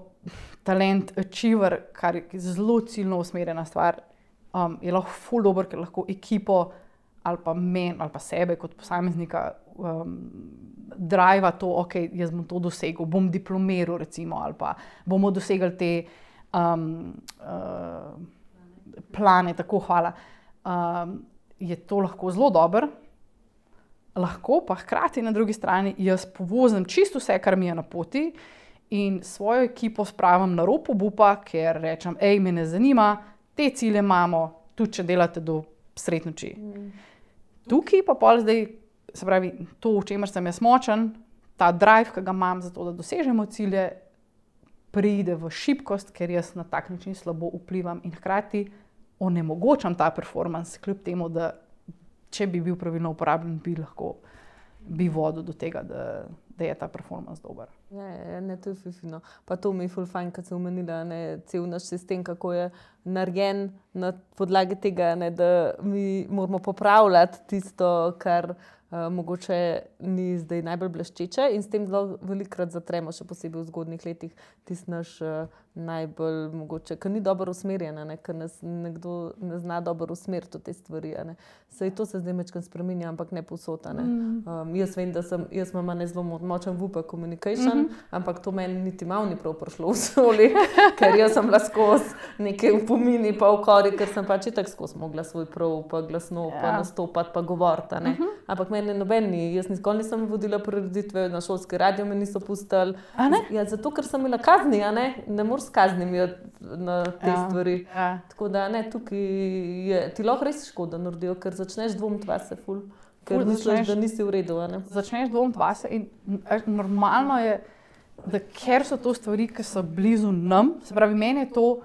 talent achiever, kar je zelo ciljno usmerjena stvar, um, je lahko ful dober, ker lahko ekipo ali pa men, ali pa sebe kot posameznika um, driva to, ok, jaz bom to dosegel, bom diplomiral recimo, ali pa bomo dosegli te um, uh, plane, tako hvala. Um, je to lahko zelo dober, lahko pa hkrati na drugi strani jaz povozim čisto vse, kar mi je na poti in svojo ekipo spravim na rob obupa, ker rečem, ej, me ne zanima, te cilje imamo, tudi če delate do sred noči. Mm. Tukaj pa pol zdaj, se pravi, to, v čemer sem jaz močen, ta drive, ki ga imam za to, da dosežemo cilje, pride v šibkost, ker jaz na tak način slabo vplivam in hkrati onemogočam ta performance, kljub temu, da če bi bil pravilno uporabljen, bi lahko bi vodil do tega, da, da je ta performance dober. Ja, ja, ne, to je fifino. Pa to mi je ful fajn, kad sem omenila, ne, cel naš sistem, kako je narejen na podlagi tega, ne, da mi moramo popravljati tisto, kar uh, mogoče ni zdaj najbolj bleščeče in s tem zelo velikokrat zatremo, še posebej v zgodnjih letih, tisti naš uh, najbolj mogoče, ker ni dobro usmerjena, ne, ker nas nekdo ne zna dobro usmeriti v te stvari. Ne. Saj to se zdaj mečkam spreminja, ampak ne povsod. Ne. Um, jaz vem, da sem, jaz imam ne zelo močen V P communication, mm -hmm. ampak to meni niti malo ni prav prišlo v šoli, ker jaz sem bila skozi neke upomini pa ukori, ker sem pač itak skozi mogla svoj prav pa glasno pa yeah. nastopati pa govoriti. Ne. Mm -hmm. Ampak meni noben ni, jaz nikoli nisem vodila prireditve, na šolski radio me niso pustili. Ja, zato, ker sem imela kazni, a ne, ne moreš s kaznimi na te ja, stvari. Ja. Tako da ne, tukaj je, ti lahko res škoda naredijo, ker začneš dvomiti vase ful, ker ful, misliš, začneš, da nisi v redu. A ne? Začneš dvomiti vase in normalno je, da ker so to stvari, ki so blizu nam, se pravi, meni je to,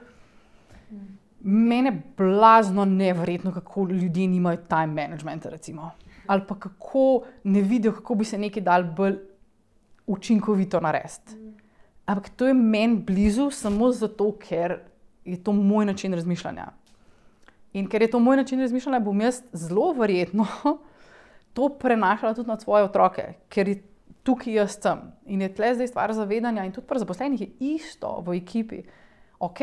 meni je blazno neverjetno, kako ljudje nimajo time managementa, recimo. Ali pa kako ne vidijo, kako bi se nekaj dal bolj učinkovito narediti. Ampak to je meni blizu samo zato, ker je to moj način razmišljanja. In ker je to moj način razmišljanja, bom jaz zelo verjetno to prenašala tudi na svoje otroke, ker je tukaj jaz sem. In je tle zdaj stvar zavedanja in tudi pri zaposlenih je isto v ekipi. Ok,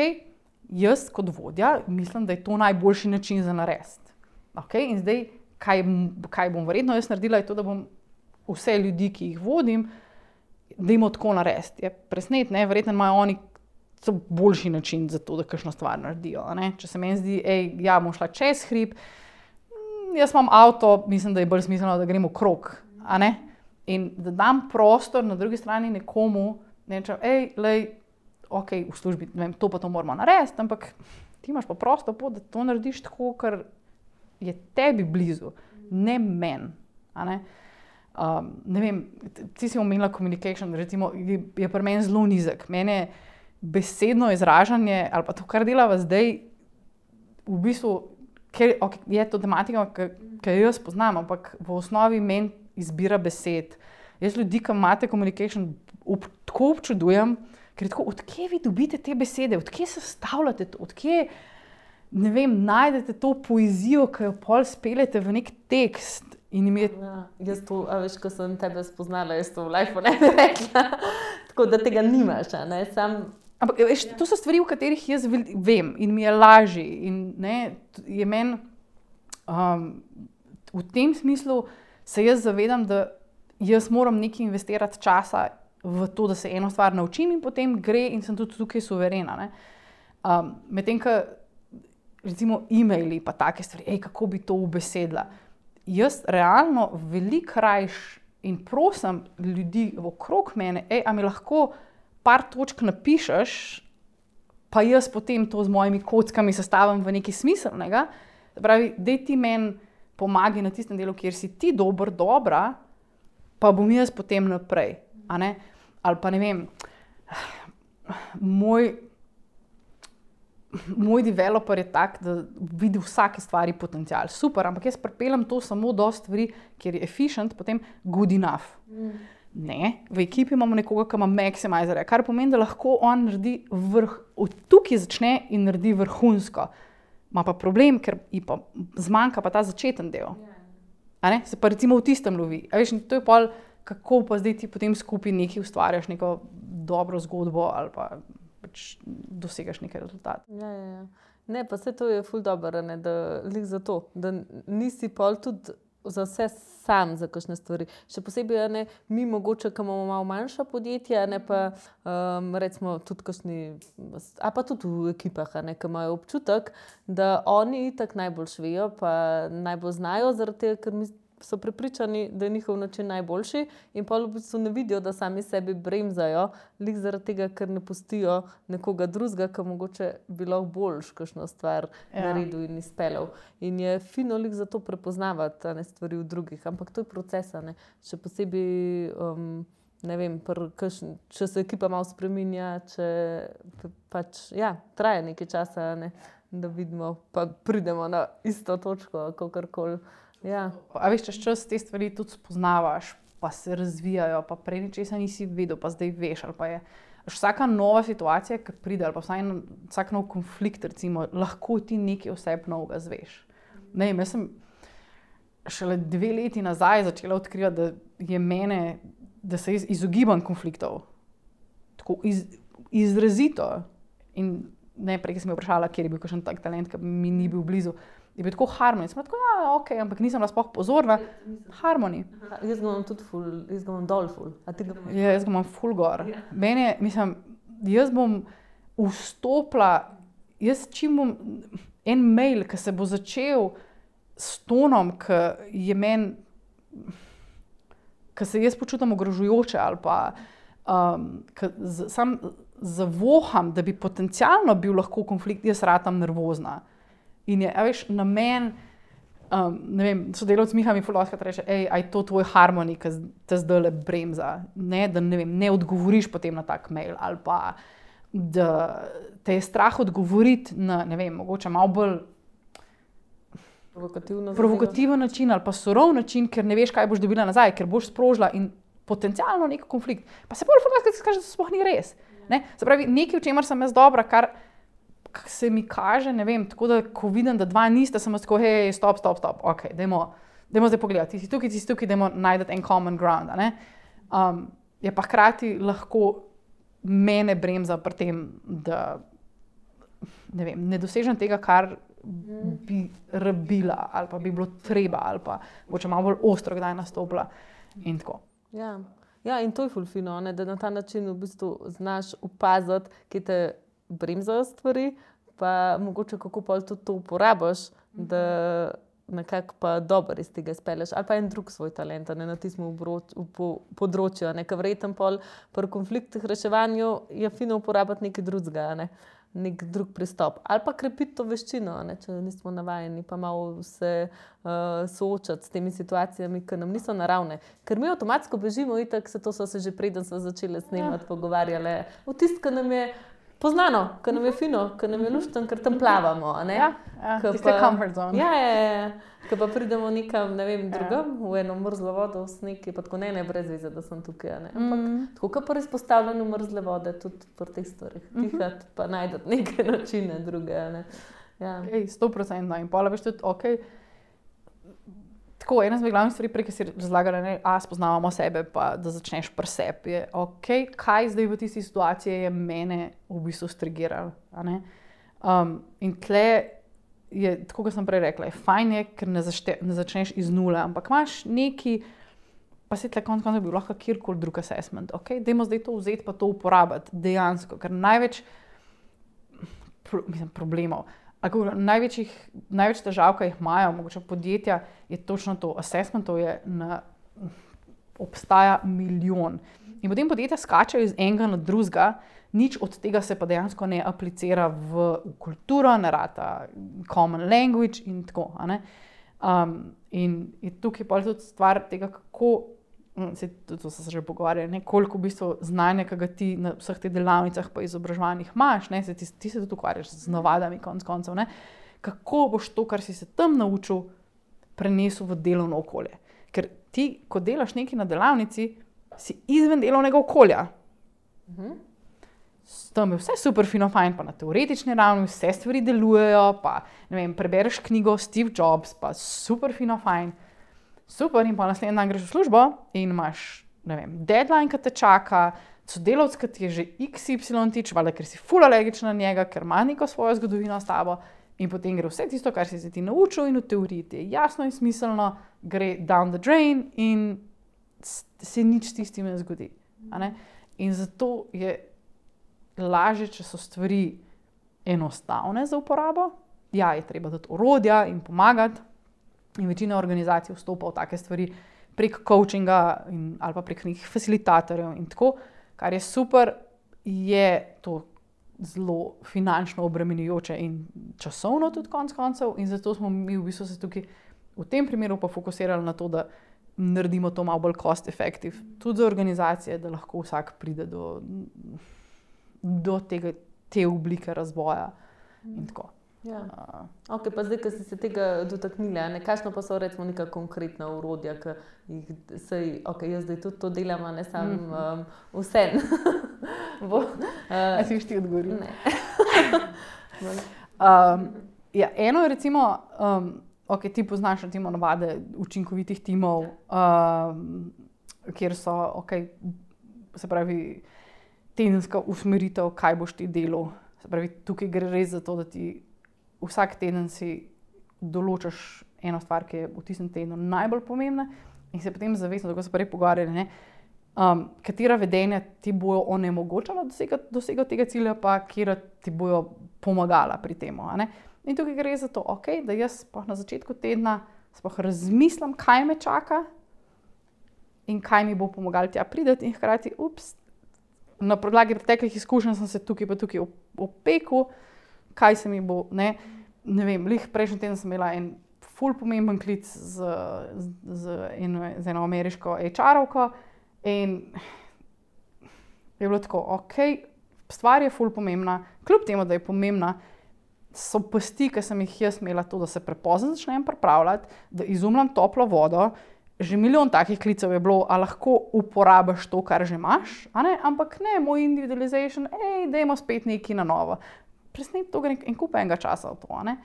jaz kot vodja mislim, da je to najboljši način za narediti. Ok, in zdaj, kaj, kaj bom verjetno jaz naredila, je to, da bom vse ljudi, ki jih vodim, da jim tako narediti. Je presnet, ne, verjetno imajo oni boljši način za to, da kakšno stvar naredijo. Ne? Če se meni zdi, ej, ja, bom šla čez hrib, jaz imam avto, mislim, da je bolj smiselno, da gremo krog, a ne? In da dam prostor na drugi strani nekomu, ne rečem, ej, lej, ok, v službi, ne vem, to pa to moramo narediti, ampak ti imaš pa prostor, da to narediš tako, kar je tebi blizu, ne meni, a ne? Um, ne vem, ti si omenila communication, recimo, je, je pri meni zelo nizek. Mene besedno izražanje, ali pa to, kar delava zdaj, v bistvu, ker okay, je to tematika, ki jo jaz poznam, ampak v osnovi meni izbira besed. Jaz ljudi, ki imate communication, ob, tako občudujem, ker je tako, odkje vi dobite te besede, odkje se stavljate to, odkje, ne vem, najdete to poezijo, ki jo pol speljete v nek tekst. In mi je... Ja, jaz to, a veš, ko sem tebe spoznala, jaz to v life ne bi rekla. Tako da tega nimaš, a ne, sam... Ampak, veš, to so stvari, v katerih jaz vem in mi je lažje. In ne, je meni, um, v tem smislu se jaz zavedam, da jaz moram nekaj investirati časa v to, da se eno stvar naučim in potem gre in sem tudi tukaj suverena, ne. Um, medtem, ko recimo e-maili pa take stvari, ej, kako bi to ubesedila. jaz realno veliko rajš in prosim ljudi okrog mene, ej, a mi lahko par točk napišeš, pa jaz potem to z mojimi kockami sestavim v nekaj smiselnega. Pravi, dej ti meni pomagaj na tistem delu, kjer si ti dober, dobra, pa bom jaz potem naprej. A ne? Ali pa ne vem, moj, moj developer je tak, da vidi vsake stvari potencial. Super, ampak jaz pripeljem to samo do stvari, kjer je efficient, potem good enough. Mm. Ne, v ekipi imamo nekoga, ki ima maximizerja, kar pomeni, da lahko on naredi vrh, od tukaj začne in naredi vrhunsko. Ma pa problem, ker pa zmanjka pa ta začeten del. A ne? Se pa recimo v tistem lovi. A veš, to je pol, kako pa zdaj ti potem skupaj nekaj ustvarjaš, neko dobro zgodbo ali pa pač dosegaš nekaj rezultat. Ja, ja, ja. Ne, pa vse to je ful dobro, ne, da lik za to, da nisi pol tudi za vse sam za kakšne stvari. Še posebej, ne, mi mogoče, ki imamo malo manjša podjetja, ne pa um, recimo tudi kakšni, a pa tudi v ekipah, ne, ki imajo občutek, da oni itak najbolj švejo, pa najbolj znajo, zaradi tega, ker mi so prepričani, da je njihov način najboljši in pa v bistvu ne vidijo, da sami sebi bremzajo, lik zaradi tega, ker ne pustijo nekoga drugega, ki mogoče bi lahko boljš kakšno stvar ja. naredil in izpeljal. In je fino lik za to prepoznavati ne, stvari v drugih, ampak to je proces, ne. Še posebej, um, ne vem, pr, kakšn, če se ekipa malo spreminja, če pač, ja, traje nekaj časa, ne, da vidimo, pa pridemo na isto točko, kakorkoli. Ja. A veš, čez čas te stvari tudi spoznavaš, pa se razvijajo, pa prej ničesa nisi vedel, pa zdaj veš. Ali pa je vsaka nova situacija, ki pride, ali pa vsaj vsak nov konflikt, recimo, lahko ti nekaj oseb novega zveš. Ne vem, jaz sem šele dve leti nazaj začela odkrivati, da je mene, da se izogibam konfliktov. Tako iz, izrazito. In ne, prej, ki sem jo vprašala, kjer je bil kakšen tak talent, ki mi ni bil blizu. Je bil tako harmoni. Sem tako, ja, ok, ampak nisem razpoh pozorna. Harmoni. Jaz ga imam tudi ful, jaz ga imam dol ful. A ti ga imaš? Ja, jaz ga imam ful gor. Mene, mislim, jaz bom vstopila, jaz čim bom en mail, ki se bo začel s tonom, ki je meni, ki se jaz počutim ogrožujoče ali pa um, ki z, sam zavoham, da bi potencialno bil lahko konflikt, jaz ratam nervozna. In je, a veš, namen, um, ne vem, sodelavc Miha mi fuloskat reče, ej, aj to tvoj harmoni, ki te zdajle bremza, ne, da ne vem, ne odgovoriš potem na tak mail, ali pa, da te je strah odgovoriti na, ne vem, mogoče malo bolj provokativen način ali pa surov način, ker ne veš, kaj boš dobila nazaj, ker boš sprožila in potencialno nek konflikt. Pa se bolj fuloskat kaže, da to sploh ni res. Ne? Se pravi, nekaj, v čemer sem jaz dobra, kar se mi kaže, ne vem, tako da, ko vidim, da dva niste, sem tako, hej, stop, stop, stop, ok, dajmo, dajmo zdaj pogledati, ti si tukaj, ti si tukaj, dajmo najdeti en common ground, ne? Um, je pa hkrati lahko mene bremza pri tem, da, ne vem, ne dosežem tega, kar bi rabila, ali pa bi bilo treba, ali pa mogoče malo bolj ostro kdaj nastopila in tako. Ja, ja in to je ful fino, ne, da na ta način v bistvu znaš opaziti, ki te bremzajo stvari, pa mogoče kako pol tudi to uporabiš, da nekako pa dobro iz tega izpelješ. Ali pa en drug svoj talent, ne, na tistem področju, ne, ker verjetno pol pri konfliktih reševanju je fino uporabiti nekaj drugega, ne, nek drug pristop. Ali pa krepiti to veščino, ne, če nismo navajeni, pa malo se uh, soočati s temi situacijami, ki nam niso naravne. Ker mi avtomatsko bežimo, itak se to so se že preden smo začeli snemati, ja. pogovarjali. V tist, ki nam je poznano, ker nam je fino, ker nam je luštno, ker tam plavamo. Ne? Ja, ja tiste comfort zone. Ja, ja, ja. Ker pa pridemo nekam, ne vem, drugam, ja. v eno mrzlo vodo, v sneg, pa tako ne, ne, brez veze, da sem tukaj. Ne? Ampak mm. tako, kot pri izpostavljanju mrzle vode, tudi pri teh stvarih. Mm-hmm. Dihati, pa najdati neke načine druge. Ne? Ja. Ej, sto procentno. In pola veš tudi, ok, tako, ena z glavnih stvari, prej, ki si razlagala, ne, a spoznavamo sebe, pa da začneš pri sebi, je ok, kaj zdaj v tisti situaciji je mene v bistvu strigiralo. Um, in tle je, tako kot sem prej rekla, je fajn je, ker ne, zašte, ne začneš iz nule, ampak imaš neki, pa se tle konc konca bi lahko kjerkoli drug assessment, ok, dajmo zdaj to vzeti pa to uporabiti dejansko, ker največ pro, mislim, problemov največjih, največ težav, ki jih imajo, mogoče podjetja, je točno to. Assessmentov je na, obstaja milijon. In potem podjetja skačajo iz enega na drugega, nič od tega se pa dejansko ne aplicira v, v kulturo, ne rata common language in tako. A ne? Um, in je tukaj pa tudi stvar tega, kako, se, to so se že pogovarjali, ne, koliko v bistvu znanja, ki ga ti na vseh teh delavnicah pa izobraževanjih imaš, ne, se ti, ti se tudi ukvarjaš z navadami konc koncev, ne, kako boš to, kar si se tam naučil, prenesel v delovno okolje. Ker ti, ko delaš nekaj na delavnici, si izven delovnega okolja. Mhm. Tam je vse super fino fajn, pa na teoretični ravni vse stvari delujejo, pa ne vem, prebereš knjigo Steve Jobs, pa super fino fajn. Super, in pa naslednji dan greš v službo in imaš, ne vem, deadline, ki te čaka, sodelavec, ki ti je že iks ipsilon tič, valjda, ker si ful alergičen na njega, ker ima neko svojo zgodovino s tabo in potem gre vse tisto, kar si se ti naučil in v teoriji ti je jasno in smiselno, gre down the drain in se nič s tistim ne zgodi. A ne? In zato je lažje, če so stvari enostavne za uporabo. Ja, je treba dati orodja in pomagati. In večina organizacij vstopa v take stvari prek coachinga in, ali pa prek nekih facilitatorjev in tako, kar je super, je to zelo finančno obremenjujoče in časovno tudi konec koncev in zato smo mi v bistvu se tukaj v tem primeru pa fokusirali na to, da naredimo to malo bolj cost effective, tudi za organizacije, da lahko vsak pride do, do tega, te oblike razvoja in tako. Ja. Uh, ok, pa zdaj, ko si se tega dotaknila, ne, kakšno pa so recimo neka konkretna orodja, ki jih sej, ok, jaz zdaj tudi to delam, a ne sam mm -hmm. um, vse. Bo, uh, si ti odgovoril? Ne. um, ja, eno je recimo, um, ok, ti poznaš recimo navade učinkovitih timov, um, kjer so, ok, se pravi, tedenska usmeritev, kaj boš ti delal. Se pravi, tukaj gre res za to, da ti vsak teden si določaš eno stvar, ki je v tistem tednu najbolj pomembna in se potem zavestno, tako se prej pogovarjali, ne, um, katera vedenja ti bojo onemogočala dosegati, dosegati tega cilja, pa katera ti bojo pomagala pri tem. In tukaj gre za to, okay, da jaz na začetku tedna razmislim, kaj me čaka in kaj mi bo pomagalo tja prideti in hkrati, ups, na podlagi preteklih izkušenj sem se tukaj pa tukaj opekel, kaj se mi bo, ne, ne vem, lih prejšnji teden sem imela en ful pomemben klic z, z, z, eno, z eno ameriško H R-ovko in je bilo tako, ok, stvar je ful pomembna, kljub temu, da je pomembna, so pasti, ki sem jih jaz imela to, da se prepozno začnem pripravljati, da izumljam toplo vodo, že milijon takih klicev je bilo, a lahko uporabiš to, kar že imaš, a ne, ampak ne, moj individualization, ej, dajmo spet nekaj na novo. Presne to gre en kup enega časa v to, ne.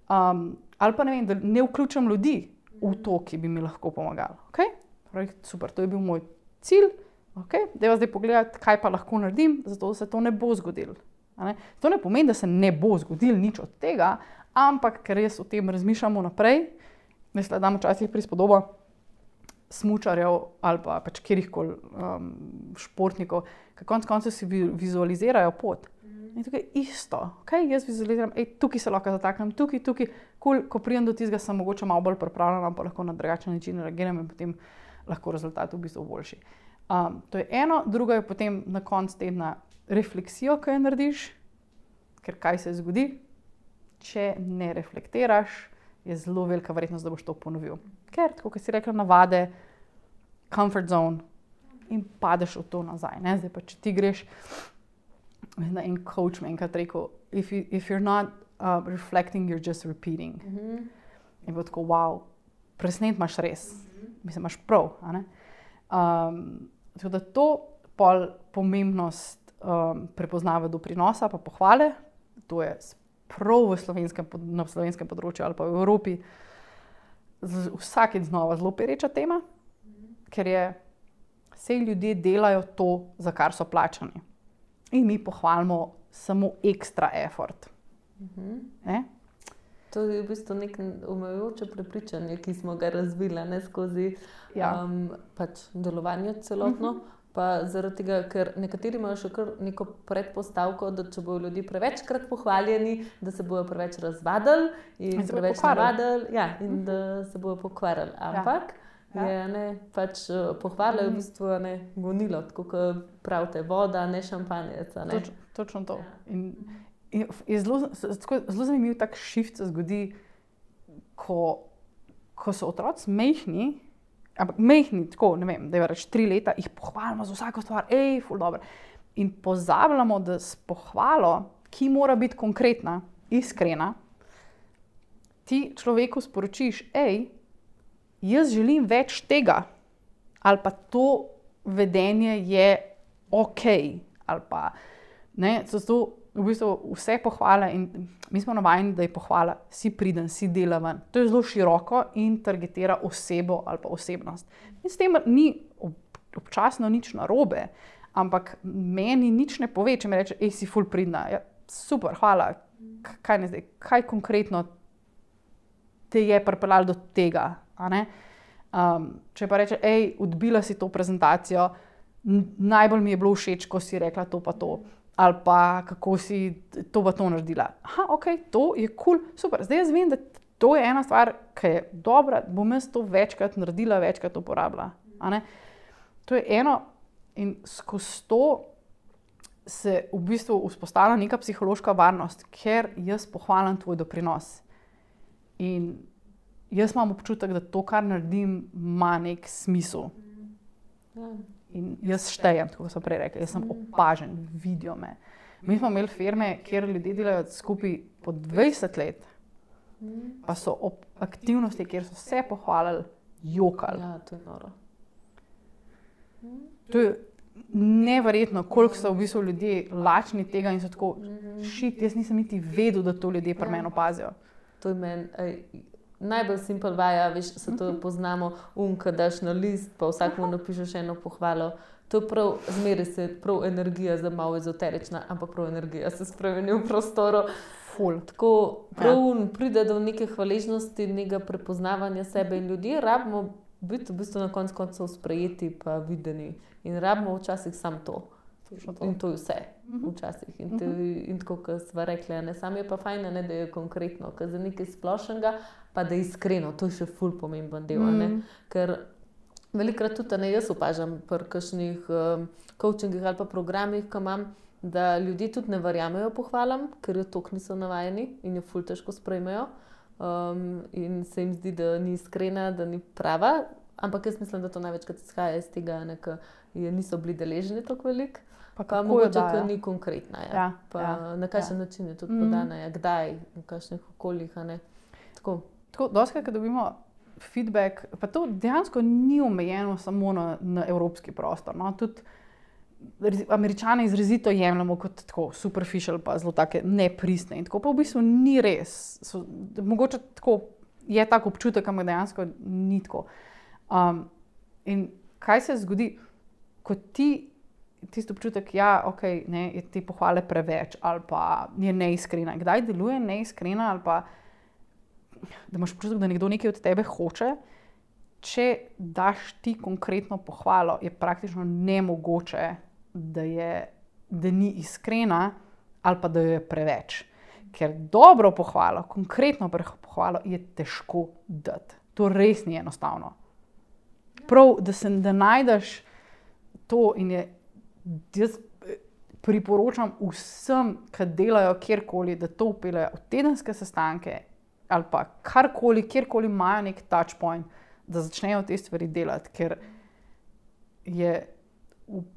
Um, ali pa ne vem, da ne vključim ljudi v to, ki bi mi lahko pomagali. Okay? Pravi, super, to je bil moj cilj, okay? Dajva zdaj pogledati, kaj pa lahko naredim, zato da se to ne bo zgodilo. Ne? To ne pomeni, da se ne bo zgodilo nič od tega, ampak ker jaz o tem razmišljamo naprej, mislim, da dam včasih prispodobo smučarjev ali pa pač kjerihkoli um, športnikov, ki konec koncev si vizualizirajo pot. In tukaj je isto. Okay? Jaz vizualiziram, ej, tukaj se lahko zataknem, tukaj, tukaj, cool, ko pridem do tistega, sem mogoče malo bolj pripravljena, pa lahko na drugačen način reagiram in potem lahko rezultat v bistvu boljši. Um, to je eno, drugo je potem na koncu tedna refleksijo, ki jo narediš, ker kaj se zgodi, če ne reflektiraš, je zelo velika verjetnost, da boš to ponovil. Ker, tako kot si rekla, navade, comfort zone in padeš v to nazaj. Ne? Zdaj pa, če ti greš, en coach me enkrat rekel, if, you, if you're not uh, reflecting, you're just repeating. Mm-hmm. In bo tako, wow, presnet imaš res. Mm-hmm. Mislim, imaš prav. A ne? Um, tako da to pol pomembnost um, prepoznava doprinosa pa pohvale, to je prav v slovenskem, na slovenskem področju ali pa v Evropi vsakeč znova zelo pereča tema, mm-hmm. ker je, sej ljudje delajo to, za kar so plačani. In mi pohvalimo samo ekstra effort. Mm-hmm. To je v bistvu nek omejujoče prepričanje, ki smo ga razvili ne, skozi ja. um, pač delovanje celotno. Mm-hmm. Pa zaradi tega, ker nekateri imajo še kar neko predpostavko, da če bodo ljudje prevečkrat pohvaljeni, da se bodo preveč razvadili in, in preveč navadili, ja, in da se bodo pokvarili. Ampak ja. je ne, pač pohvala je v bistvu ne, gonilo, tako kot pravite, voda, ne šampanjec. Ne. Toč, točno to. In, in je zelo, zelo zanimiv tak shift se zgodi, ko, ko so otroci mehni. Ampak mehni, tako, ne vem, da je reč tri leta, jih pohvalimo za vsako stvar, ej, ful dobro. In pozabljamo, da s pohvalo, ki mora biti konkretna, iskrena, ti človeku sporočiš, ej, jaz želim več tega, ali pa to vedenje je okej, ali pa, ne, so to v bistvu vse pohvale in mi smo navajeni, da je pohvala, si priden, si delaven. To je zelo široko in targetira osebo ali pa osebnost. In s tem ni občasno nič narobe, ampak meni nič ne pove, če mi reče, ej, si ful pridna. Ja, super, hvala. Kaj ne zdaj? Kaj konkretno te je pripeljalo do tega? A ne? Um, če pa reče, ej, odbila si to prezentacijo, najbolj mi je bilo všeč, ko si rekla to pa to. Ali pa kako si to pa to naredila. Aha, ok, to je kul, cool, super. Zdaj jaz vem, da to je ena stvar, ki je dobra, bom jaz to večkrat naredila, večkrat uporabila. A ne? To je eno in skozi to se v bistvu vzpostavlja neka psihološka varnost, ker jaz pohvalim tvoj doprinos. In jaz imam občutek, da to, kar naredim, ima nek smisel. Ja. In jaz štejem, tako sem prej rekla, jaz sem opažen, vidijo me. Mi smo imeli firme, kjer ljudje delajo skupaj po dvajset let, pa so ob aktivnosti, kjer so se pohvalili, jokali. Ja, to je noro. To je neverjetno, koliko so v bistvu ljudje lačni tega in so tako, šit, jaz nisem niti vedel, da to ljudje pri meni opazijo. To je meni... Najbolj simpel vaja, veš, se to poznamo, um, ko daš na list, pa vsakmu napišeš eno pohvalo. To je prav, zmeri se prav energija, zdaj malo ezoterična, ampak prav energija se spremeni v prostoru. Ful. Tako prav ja. pride do neke hvaležnosti, nekega prepoznavanja sebe in ljudi, rabimo biti v bistvu na konc koncev sprejeti pa videni. In rabimo včasih samo to. to. In to je vse. Včasih. In, te, in tako, kot sva rekla, ne, sam je pa fajn, ne, da je konkretno, ker za nekaj splošnega, pa da je iskreno, to je še ful pomemben del, mm. ne, ker velikrat tudi, ne, jaz opažam pri kakšnih um, coachingih ali pa programih, ko imam, da ljudje tudi ne verjamejo pohvalam, ker jo toliko niso navajeni in jo ful težko sprejmejo um, in se jim zdi, da ni iskrena, da ni prava, ampak jaz mislim, da to največkrat izhaja iz tega, ne, ker niso bili deleženi toliko veliko. Pa, pa mogoče, da ni konkretna. Ja. Ja, pa ja, na kakšen ja. način je tudi podana, ja. Kdaj, v kakšnih okoljih. Ne. Tako. Tako, doskrat, ko dobimo feedback, pa to dejansko ni omejeno samo na, na evropski prostor. No. Tudi Američane izrazito jemljamo kot tako superficial, pa zelo take nepristne. In tako pa v bistvu ni res. So, mogoče tako je tak občutek, ampak dejansko ni tako. Um, in kaj se zgodi, ko ti tisti občutek, ja, ok, ne, je te pohvale preveč ali pa je neiskrena. Kdaj deluje neiskrena ali pa da imaš občutek, da nekdo nekaj od tebe hoče, če daš ti konkretno pohvalo, je praktično nemogoče, da, je, da ni iskrena ali pa da jo je preveč. Ker dobro pohvalo, konkretno pohvalo je težko dati. To res ni enostavno. Prav, da se da najdeš to in je jaz priporočam vsem, ki delajo kjerkoli, da to vpeljejo v tedenske sestanke ali pa karkoli, kjerkoli imajo nek touch point, da začnejo te stvari delati, ker je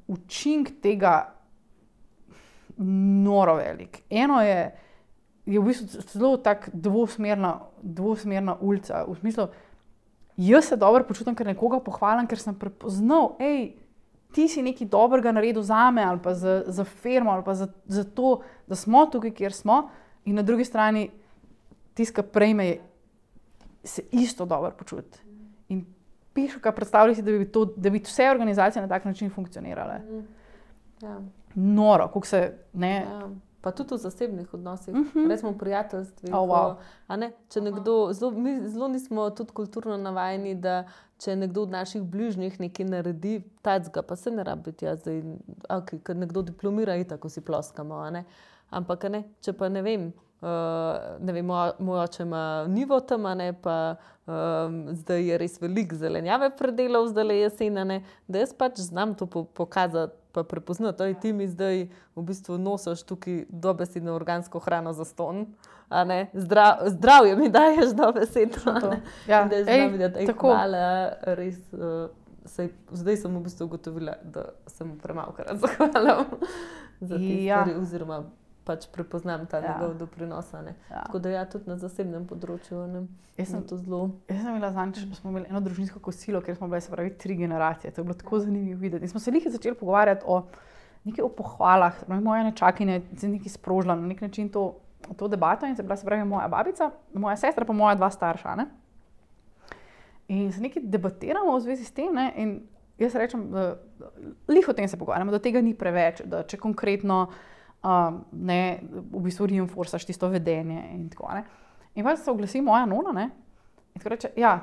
učink tega noro velik. Eno je, je v bistvu zelo tak dvosmerna, dvosmerna ulica, v smislu, jaz se dobro počutim, ker nekoga pohvalim, ker sem prepoznal, ej, ti si nekaj dobrega naredil zame ali pa za, za firmo ali pa za, za to, da smo tukaj, kjer smo, in na drugi strani tiska prejme se isto dobro počuti. In pišu, kaj predstavlja si, da bi, to, da bi vse organizacije na tak način funkcionirale. Ja. Noro, kako se, ne... Ja. pa tudi v zasebnih odnosih, uh -huh. recimo v prijateljstvih. Oh, wow. a ne, če nekdo, zelo, mi zelo nismo tudi kulturno navajeni, da če nekdo od naših bližnjih nekaj naredi, tacga, pa se ne rabi biti jaz, zdaj, okay, ker nekdo diplomira, itak vsi ploskamo, a ne. Ampak, a ne, če pa ne vem, Uh, ne vem, moj, moj oče ima nivo tam, ne, pa um, zdaj je res veliko zelenjave predelal, zdaj je jesen, da jaz pač znam to po, pokazati, pa prepoznati, da ti mi zdaj v bistvu nosiš tukaj dobesedno organsko hrano za ston, a ne, Zdrav, zdravje mi daješ dobesedno. Ja, da znam videti, ej, hvala, res, uh, sej, zdaj sem v bistvu ugotovila, da sem premalokrat zahvalam za te ja. stvari, oziroma pač prepoznam ta ja. njegov doprinos. Ja. Tako da ja, tudi na zasebnem področju ne, jaz sem to zelo... Jaz sem imela zanč, da smo imeli eno družinsko kosilo, kjer smo bili, se pravi, tri generacije. To je bilo tako zanimivo videti. In smo se lihaj začeli pogovarjati o nekaj o pohvalah. Moja nečakinja je nekaj sprožila na nek način to, to debato in se bila, se pravi, moja babica, moja sestra pa moja dva starša. Ne? In se nekaj debatiramo v zvezi s tem, ne? In jaz rečem, da lih o tem se pogovarjamo, da tega ni preveč, da če konkretno Um, ne, v bistvu reinforcaš tisto vedenje in tako, ne. In pa se oglasi moja nona, ne, in tako reče, ja,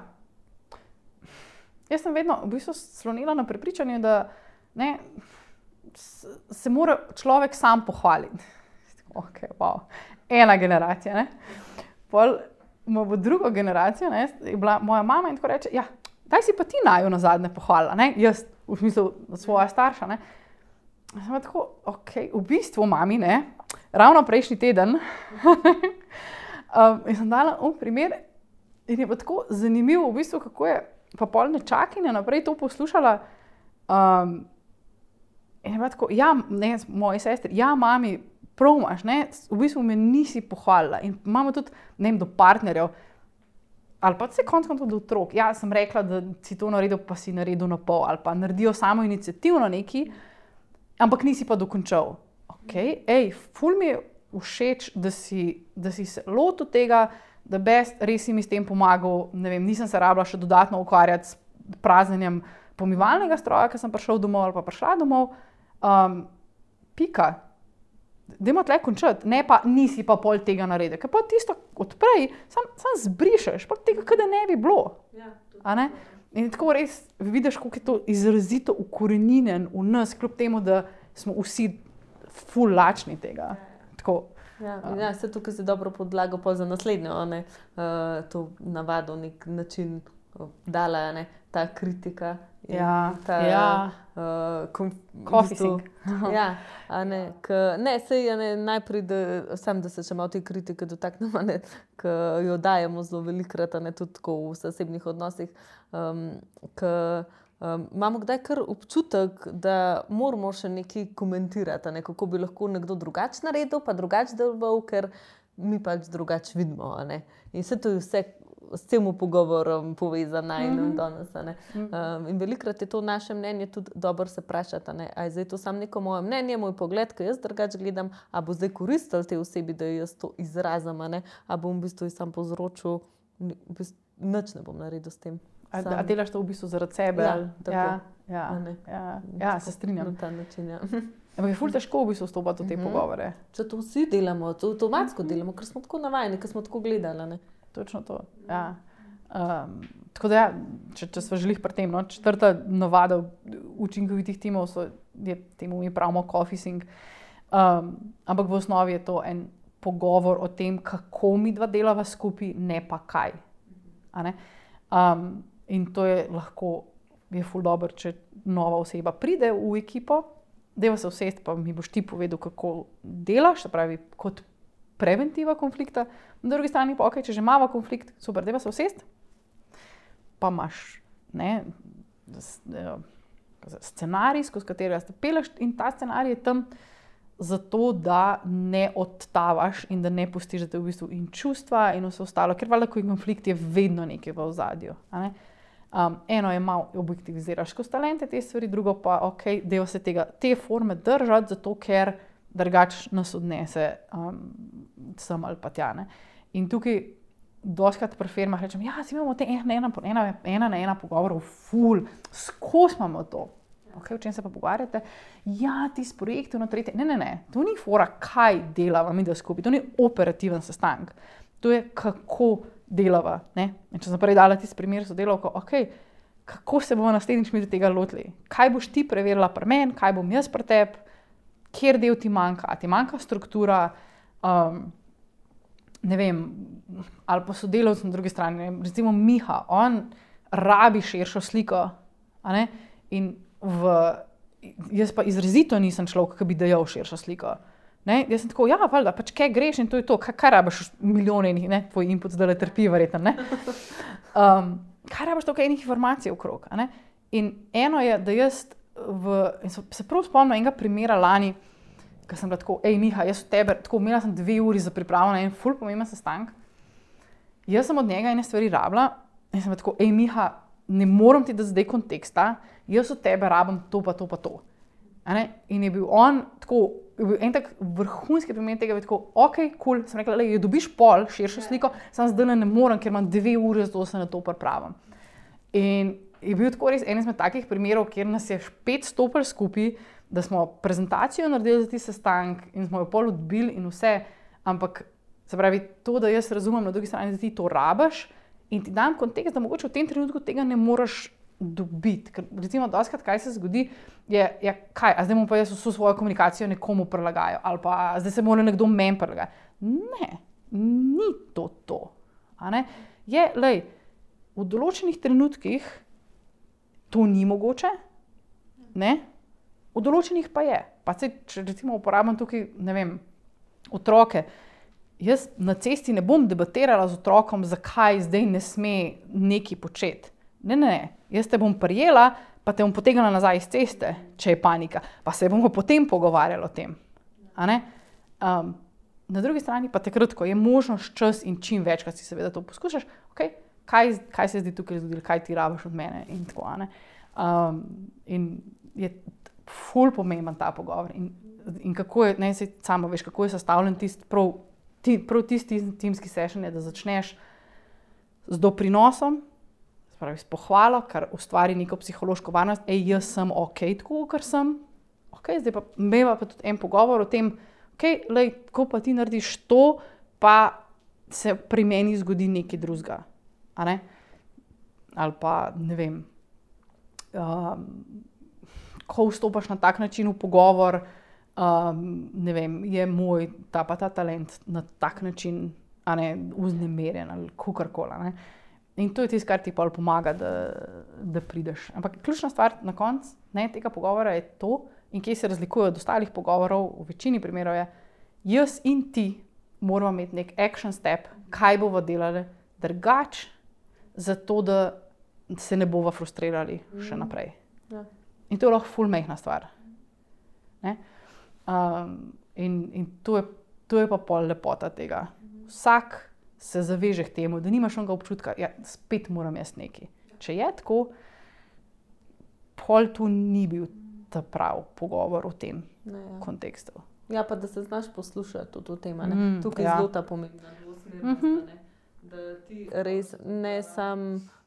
jaz sem vedno v bistvu slonila na prepričanju, da ne, se mora človek sam pohvaliti. Ok, wow, ena generacija, ne. Pol ima bo drugo generacijo, ne, je bila moja mama in tako reče, ja, daj si pa ti naju nazadnje pohvalila, ne, jaz v smislu svoja starša, ne. Sem tako, ok, v bistvu mami, ne, ravno prejšnji teden um, in sem dala v primer in je pa tako zanimivo v bistvu, kako je pa pol nečakinja naprej to poslušala um, in je pa tako, ja, ne, moji sestri, ja, mami, prav imaš, ne, v bistvu me nisi pohvalila in imamo tudi, ne vem, do partnerjev ali pa se konc koncev do otrok, ja, sem rekla, da si to naredil, pa si naredil na pol ali pa naredijo samo iniciativno neki, ampak nisi pa dokončal. Ok, ej, ful mi je všeč, da si, da si se lotil tega, da best, res si mi s tem pomagal, ne vem, nisem se rabila še dodatno ukvarjati s praznjenjem pomivalnega stroja, ker sem prišel domov ali pa prišla domov. Um, pika. Dajmo tle končati, ne pa nisi pa pol tega naredil, ker pa tisto odprej, sam, sam zbrišeš, pa tega, kada ne bi bilo. Ja, a ne? In tako res vidiš, kako je to izrazito ukorenjeno v nas, kljub temu, da smo vsi ful lačni tega. Tako, ja, ja, vse tukaj se dobro podlago pa za naslednjo, ne, uh, to navado, nek način uh, dala, ne, ta kritika. Ja, ta, ja. Uh, Coffee sink. Ja, a ne, k, ne, sej, a ne, najprej, da, sam, da se še malo te kritike dotaknemo, ne, k jo dajemo zelo velikrat, a ne, tudi tako v zasebnih odnosih, um, k um, imamo kdaj kar občutek, da moramo še nekaj komentirati, a ne, kako bi lahko nekdo drugač naredil, pa drugač deloval, ker mi pač drugač vidimo, a ne. In vse to je vse s tem pogovorom povezana in mm-hmm. danes. Um, in velikrat je to naše mnenje tudi dobro se vprašati, ne? A je zdaj to samo neko moje mnenje, moj pogled, ki jaz drugače gledam, a bo zdaj koristil tej osebi, da jaz to izrazim, a, a bom v bistvu sam povzročil, v bistvu, nič ne bom naredil s tem. A, a delaš to v bistvu zaradi sebe? Ja, tako. Ja, ja, ja, ja, se strinjam. Na ta način, ja. Ampak je ful težko v bistvu vstopati v te mm-hmm. pogovore. Če to vsi delamo, to avtomatsko mm-hmm. delamo, ker smo tako navajeni, ker smo tako gledali, ne. Točno to, ja. Um, tako da ja, če, če smo želih pri tem, no, četrta navada učinkovitih timov so, je, temu mi pravimo coffee sink, um, ampak v osnovi je to en pogovor o tem, kako mi dva delava skupaj, ne pa kaj. A ne? Um, in to je lahko, je ful dobro, če nova oseba pride v ekipo, deva se usesti, pa mi boš ti povedal, kako delaš, se pravi, kot preventiva konflikta, na drugi strani pa, ok, če že imamo konflikt, super, deva se usesti, pa imaš, ne, scenarij, skozi katerega se peleš in ta scenarij je tam zato, da ne odtavaš in da ne pustiš, da te v bistvu in čustva in vse ostalo, ker valjda, ko je konflikt, je vedno nekaj v ozadju, a ne. Um, eno je malo objektiviziraš skozi talente te stvari, drugo pa, ok, deva se tega, te forme držati, zato ker drugač nas odnese um, sem ali pa tja, ne. In tukaj doskrat pri firmah rečem, ja, si imamo te ena, ena, ena, ena na ena pogovorov, ful, skozi imamo to. Okay, o čem se pa pogovarjate? Ja, ti s projekti na tretje. Ne, ne, ne. To ni fora, kaj delava mi da skupaj. To ni operativen sestanek. To je, kako delava. Ne? In če sem prej dala tisti primer sodelavko, ok, kako se bomo naslednjič mi do tega lotili? Kaj boš ti preverila pri meni, kaj bom jaz pri tebi, kjer del ti manjka, a ti manjka struktura, um, ne vem, ali pa sodelavci na drugi strani. Recimo Miha, on rabi širšo sliko, a ne? In v, jaz pa izrazito nisem človek, ki bi dajal širšo sliko. Ne? Jaz sem tako, ja, valjda, pač kaj greš in to je to, kaj, kaj rabiš milijone enih, ne, tvoj input zdaj le trpi verjetno, ne. Um, kaj rabiš toliko enih informacij okrog, a ne. In eno je, da jaz v, in se prav spomnim enega primera lani, ko sem bila tako, ej Miha, jaz od tebe, tako imela sem dve uri za pripravo na en ful pomemben sestank, jaz sem od njega ene stvari rabila in sem bila tako, ej Miha, ne morem ti da zdaj konteksta, jaz od tebe rabim to pa to pa to. A ne? In je bil on tako, je bil en tak vrhunski primer tega, tako, ok, cool, sem rekla, le, dobiš pol širšo sliko, sam zdaj ne morem, ker imam dve uri, zato se na to pripravim. In je bil tako res en izmed takih primerov, kjer nas je spet stopili skupaj, da smo prezentacijo naredili za ti sestank in smo jo pol odbili in vse, ampak se pravi, to, da jaz razumem na drugi strani, da ti to rabiš in ti dam kontekst, da mogoče v tem trenutku tega ne moreš dobiti. Ker recimo dostikrat, kaj se zgodi, je, je kaj, a zdaj mu pa jaz vso svojo komunikacijo nekomu prilagajo, ali pa zdaj se mora nekdo meni prilagati. Ne, ni to to. A ne? Je, lej, v določenih trenutkih to ni mogoče, ne? V določenih pa je. Pa se, če recimo uporabljam tukaj, ne vem, otroke, jaz na cesti ne bom debatirala z otrokom, zakaj zdaj ne sme nekaj početi. Ne, ne, ne. Jaz te bom prijela, pa te bom potegnila nazaj iz ceste, če je panika. Pa se bomo potem pogovarjali o tem. A ne? Um, na drugi strani pa takrat, ko je možnost čas in čim večkrat si seveda to poskušaš, okay, kaj, kaj se je zdaj tukaj zgodilo, kaj ti rabiš od mene in tako. A ne? Um, in je ful pomemben ta pogovor. In, in kako je, ne, sej samo veš, kako je sestavljen tisti prav, ti, prav tisti timski session je, da začneš z doprinosom, pravi, s pohvalo, kar ustvari neko psihološko varnost, ej, jaz sem ok, tako, kar sem, ok, zdaj pa imeva pa tudi en pogovor o tem, ok, lej, ko pa ti narediš to, pa se pri meni zgodi nekaj drugega, a ne? Ali pa, ne vem, um, ko vstopaš na tak način v pogovor, um, ne vem, je moj ta pa ta talent na tak način, a ne, vznemirjen ali kakorkoli, a ne? In to je tisto, kar ti pol pomaga, da, da prideš. Ampak ključna stvar na koncu tega pogovora je to, in kje se razlikuje od ostalih pogovorov, v večini primerov je, jaz in ti moramo imeti nek action step, kaj bova delali drugače, zato da se ne bova frustrirali še naprej. Ja. In to je lahko ful mehna stvar. Ne? Um, in in to, je, to je pa pol lepota tega. Vsak se zaveže k temu, da nimaš onega občutka, ja, spet moram jaz nekaj. Če je tako, pol tu ni bil ta prav pogovor o tem ne, ja. kontekstu. Ja, pa da se znaš poslušati tudi o tem, ne? Mm, tukaj je ja. zelo ta pomembna dvosmernost, mm-hmm. da ti res ne sam,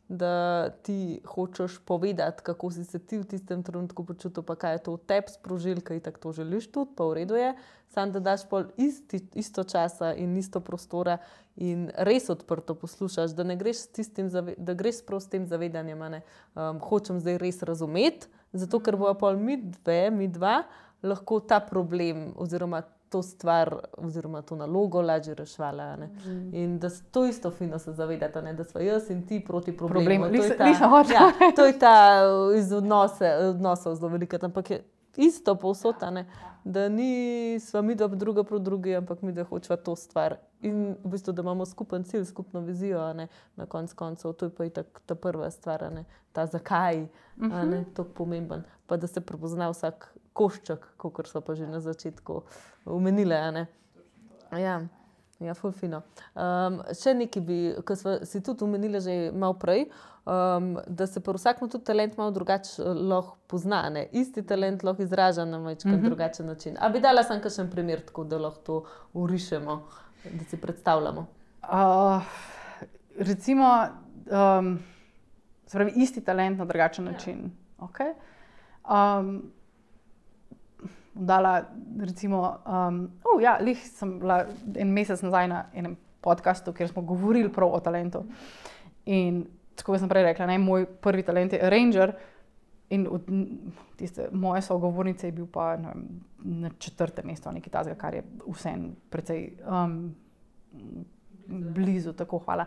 da ti hočeš povedati, kako si se ti v tistem trenutku počutil, pa kaj je to v tebi sprožil, kaj tako to želiš tudi, pa v redu je, samo da daš pol isti, isto časa in isto prostora in res odprto poslušaš, da ne greš s tistim, da greš prav s tem zavedanjem, ne, um, hočem zdaj res razumeti, zato ker bojo pol mi dve, mi dva, lahko ta problem oziroma to stvar oziroma to nalogo lažje rešvala. Ne? Mm. In da to isto fino se zavedate, ne? Da smo jaz in ti proti problemu. Problem. To, je ta, ja, to je ta iz odnose, odnosov zelo velika, ampak je isto povsod, ne? Da ni sva mi dva druga proti drugi, ampak mi da hočeva to stvar. In v bistvu, da imamo skupen cilj, skupno vizijo, ne? Na konc koncev. To je pa itak ta prva stvar, ne? Ta zakaj, mm-hmm. ne? To je pomemben. Pa da se prepozna vsak košček, kakor so pa že na začetku omenile, ne? Ja, ja, ful fino. Um, še nekaj bi, ko smo si tudi omenili že malo prej, um, da se pri vsakem tudi talent malo drugače lahko pozna, ne? Isti talent lahko izraža na majčkrat mm-hmm. drugačen način. A bi dala sem kakšen primer, tako da lahko to urišemo, da si predstavljamo? Uh, recimo, um, se pravi, isti talent na drugačen način. Ja. Okay. Um, dala, recimo, um, oh, ja, lih sem bila en mesec nazaj na enem podcastu, kjer smo govorili prav o talentu. In tako sem prej rekla, ne, moj prvi talent je arranger in od tiste moje sogovornice je bil pa ne vem, na četrtem mestu, nekaj tazga, kar je vseeno precej um, blizu, tako hvala.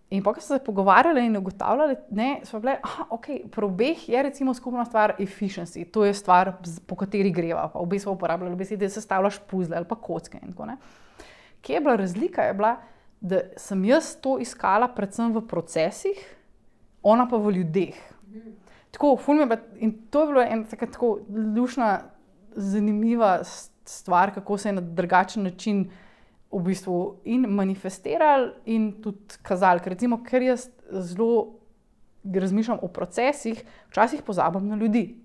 In pa, ko so se pogovarjali in ugotavljali, ne, so bile, aha, ok, pri obeh je recimo skupna stvar efficiency, to je stvar, po kateri greva, pa obe so uporabljali besede, da sestavljaš puzle ali pa kocke in tako, ne. Kje je bila razlika, je bila, da sem jaz to iskala predvsem v procesih, ona pa v ljudeh. Tako, ful mi je bila, in to je bilo ena taka tako lušna, zanimiva stvar, kako se je na drugačen način v bistvu in manifestirali in tudi kazali. Ker recimo, ker jaz zelo razmišljam o procesih, včasih pozabim na ljudi.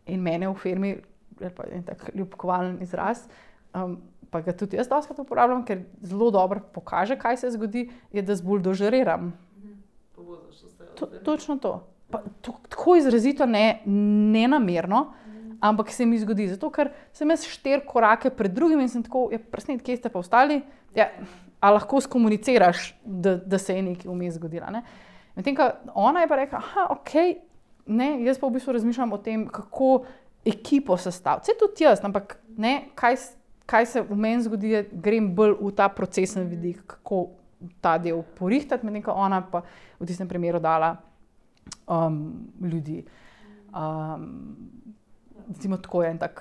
In mene v firmi, pa je tak ljubkovalen izraz, um, pa ga tudi jaz dostakrat uporabljam, ker zelo dobro pokaže, kaj se zgodi, je, da zbuldožeriram. To, točno to. Pa, to. Tako izrazito ne, nenamerno, ampak se mi zgodi, zato ker sem jaz štiri korake pred drugim in sem tako, ja, presnet, kje ste pa ostali? Ja, a lahko skomuniciraš, da, da se je nekaj vmes zgodila, ne? Medtem, ko ona je pa rekla, aha, ok, ne, jaz pa v bistvu razmišljam o tem, kako ekipo sestaviti. Vse tudi jaz, ampak ne, kaj, kaj se v meni zgodi, je, grem bolj v ta procesen vidik, kako ta del porihtati, medtem, ko ona pa v tistem primeru dala um, ljudi. Um, Recimo tako je en tak...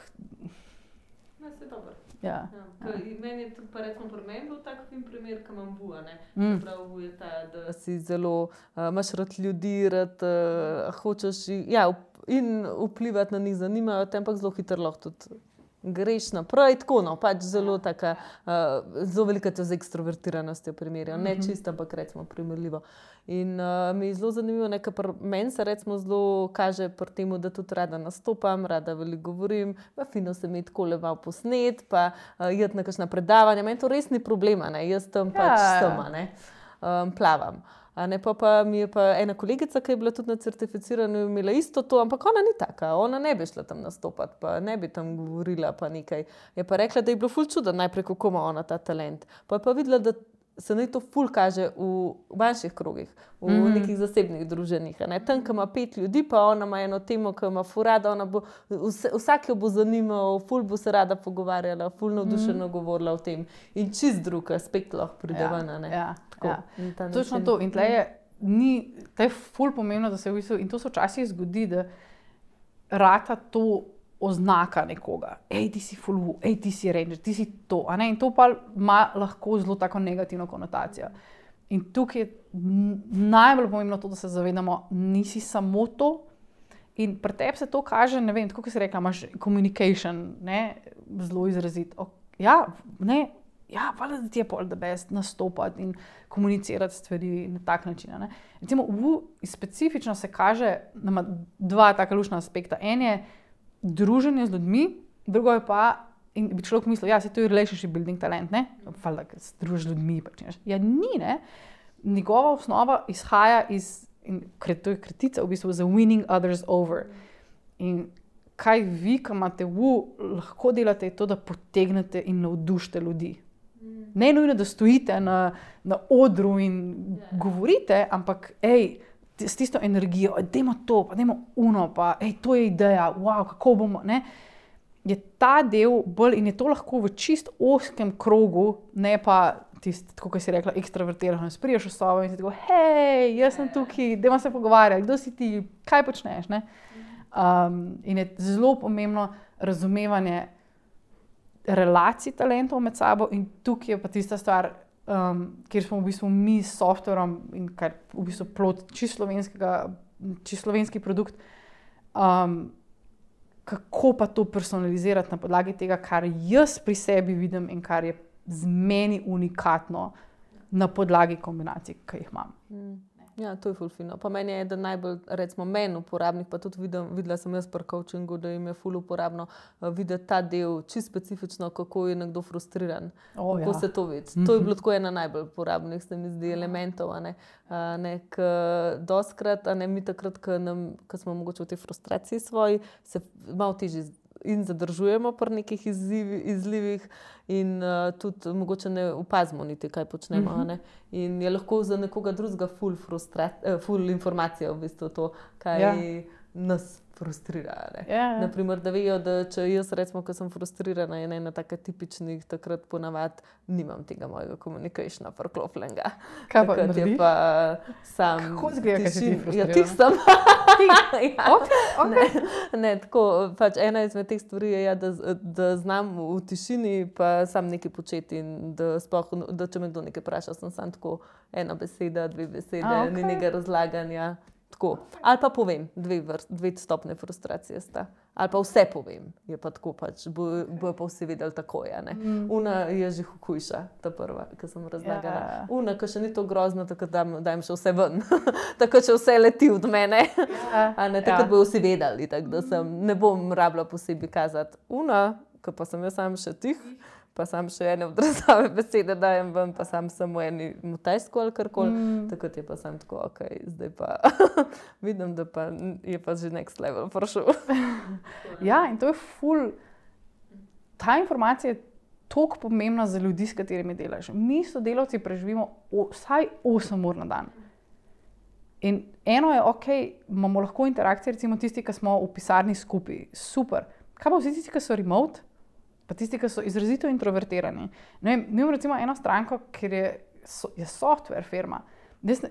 Ne, se je dobro. Ja. Ja, meni je tudi, pa recimo, pri meni bil tak fin primer, ko imam vuja, ne. Mm. Prav vu je ta, da si zelo, uh, imaš rad ljudi, rad uh, hočeš ja, in vplivati na njih, zanimajo te, ampak zelo hitro lahko tudi greš naprej, tako no, pač zelo taka, uh, zelo velika to z ekstrovertiranostjo primerjajo, ne čisto, ampak recimo primerljivo. In uh, mi je zelo zanimivo, nekaj pri meni se recimo zelo kaže pri temu, da tudi rada nastopam, rada veliko govorim, pa fino se mi tako leval posnet, pa uh, jeti na kakšna predavanja, meni to res ni problema, ne, jaz tam ja. pač sama, ne, um, plavam. A ne, pa, pa mi je pa ena kolegica, ki je bila tudi na certificiranju, imela isto to, ampak ona ni taka, ona ne bi šla tam nastopati, pa ne bi tam govorila, pa nekaj. Je pa rekla, da je bilo ful čudo najprej, kako ima ona ta talent. Pa je pa videla, da se naj to ful kaže v manjših krogih, v mm. nekih zasebnih druženjih. Ne? Tam, ko ima pet ljudi, pa ona ima eno temo, ki ima ful rada, ona bo, vse, vsak jo bo zanimal, ful bo se rada pogovarjala, ful navdušeno mm. govorila o tem. In čist drug aspekt lahko pride ja, ven, ne? Ja, ja. Točno način... to. In tle je, ni, tle je ful pomembno, da se v bistvu, in to se včasih zgodi, da rata to oznaka nekoga. Ej, ti si ful, ej, ti si ranger, ti si to. A ne? In to pa ima lahko zelo tako negativno konotacijo. In tukaj je najbolj pomembno to, da se zavedamo, nisi samo to. In pri tebi se to kaže, ne vem, tako kot si rekla, imaš communication, ne, zelo izrazit. Ja, ne, ja, valjda, da ti je pol the best nastopati in komunicirati stvari na tak način. Ne. Recimo, v specifično se kaže, da ima dva taka lušna aspekta. En je druženje z ljudmi, drugo je pa, in bi človek mislil, ja, se to je relationship building talent, ne? Valjda, ker se družiš z ljudmi, pač neš. Ja, ni, ne? Njegova osnova izhaja iz, in to je kratica v bistvu za winning others over. In kaj vi, ko imate v, lahko delate, je to, da potegnete in navdušite ljudi. Ne nujno, da stojite na, na odru in yeah. govorite, ampak ej, s tisto energijo, dajmo to, pa dajmo uno, pa ej, to je ideja, wow, kako bomo, ne, je ta del bolj in je to lahko v čist oskem krogu, ne pa tisti, tako kot si rekla, ekstravertirano, spriješ v sobo in si tako, hej, jaz sem tukaj, dajmo se pogovarjati, kdo si ti, kaj počneš, ne. Um, in je zelo pomembno razumevanje relacij talentov med sabo in tukaj je pa tista stvar, Um, kjer smo v bistvu mi s softverom in kar v bistvu plod čisto slovenskega, čisto slovenski produkt, um, kako pa to personalizirati na podlagi tega, kar jaz pri sebi vidim in kar je z meni unikatno na podlagi kombinacij, ki jih imam. Ja, to je ful fino. Pa meni je eden najbolj, recimo, meni uporabnih, pa tudi vidim, videla sem jaz pri coachingu, da jim je ful uporabno uh, videti ta del, čisto specifično, kako je nekdo frustriran. O, kako ja. se to vidi. To je bilo tako ena najbolj uporabnih, se mi zdi, elementov. A ne, a ne, k, doskrat, a ne, mi takrat, ko smo mogoče v tej frustraciji svoji, se malo težje in zadržujemo pri nekih izzivi, izlivih in uh, tudi mogoče ne opazimo niti, kaj počnemo. Uh-huh. Ne? In je lahko za nekoga drugega ful, eh, ful informacija v bistvu to, kaj ja. nas frustrira. Ne? Ja, ja. Naprimer, da vejo, da če jaz recimo, ko sem frustrirana, je ena taka tipičnih, takrat ponavad nimam tega mojega komunikationa prklopljenega. Kaj pa takrat je pa sam Kako zgleda, kaj si ti frustrirana? Ja, tih sem. ja. okay, okay. Ne, ne, tako, pač ena izmed teh stvari je, ja, da, da znam v tišini pa sam nekaj početi in da, sploh, da če me kdo nekaj vpraša, sem sam tako ena beseda, dve besede, A, okay. ni nekaj razlaganja. Tako. Ali pa povem, dve, vrst, dve stopne frustracije sta. Ali pa vse povem, je pa tako pač, bojo bo pa vsi vedeli takoj. Mm. Una je že hujša, ta prva, ki sem razlagala. Ja. Una, ki še ni to grozno, tako da dajem še vse ven. Tako, če vse leti od mene. Ja. A ne, tako ja. bojo vsi vedeli, tak, da sem, ne bom rabila posebej kazati. Una, ki pa sem jaz sam še tih, pa sam še ene odrazave besede dajem ven, pa sam samo eni mutajsko ali karkoli. Mm. Tako je pa sam tako, ok, zdaj pa vidim, da pa je pa že next level prišel. Ja, in to je ful. Ta informacija je toliko pomembna za ljudi, s katerimi delaš. Mi sodelavci preživimo o, vsaj osem ur na dan. In eno je, ok, imamo lahko interakcije, recimo tisti, ki smo v pisarni skupaj, super. Kaj pa vsi tisti, ki so remote? Pa tisti, ki so izrazito introvertirani. Ne vem, mi imamo recimo eno stranko, ker je, so, je software firma.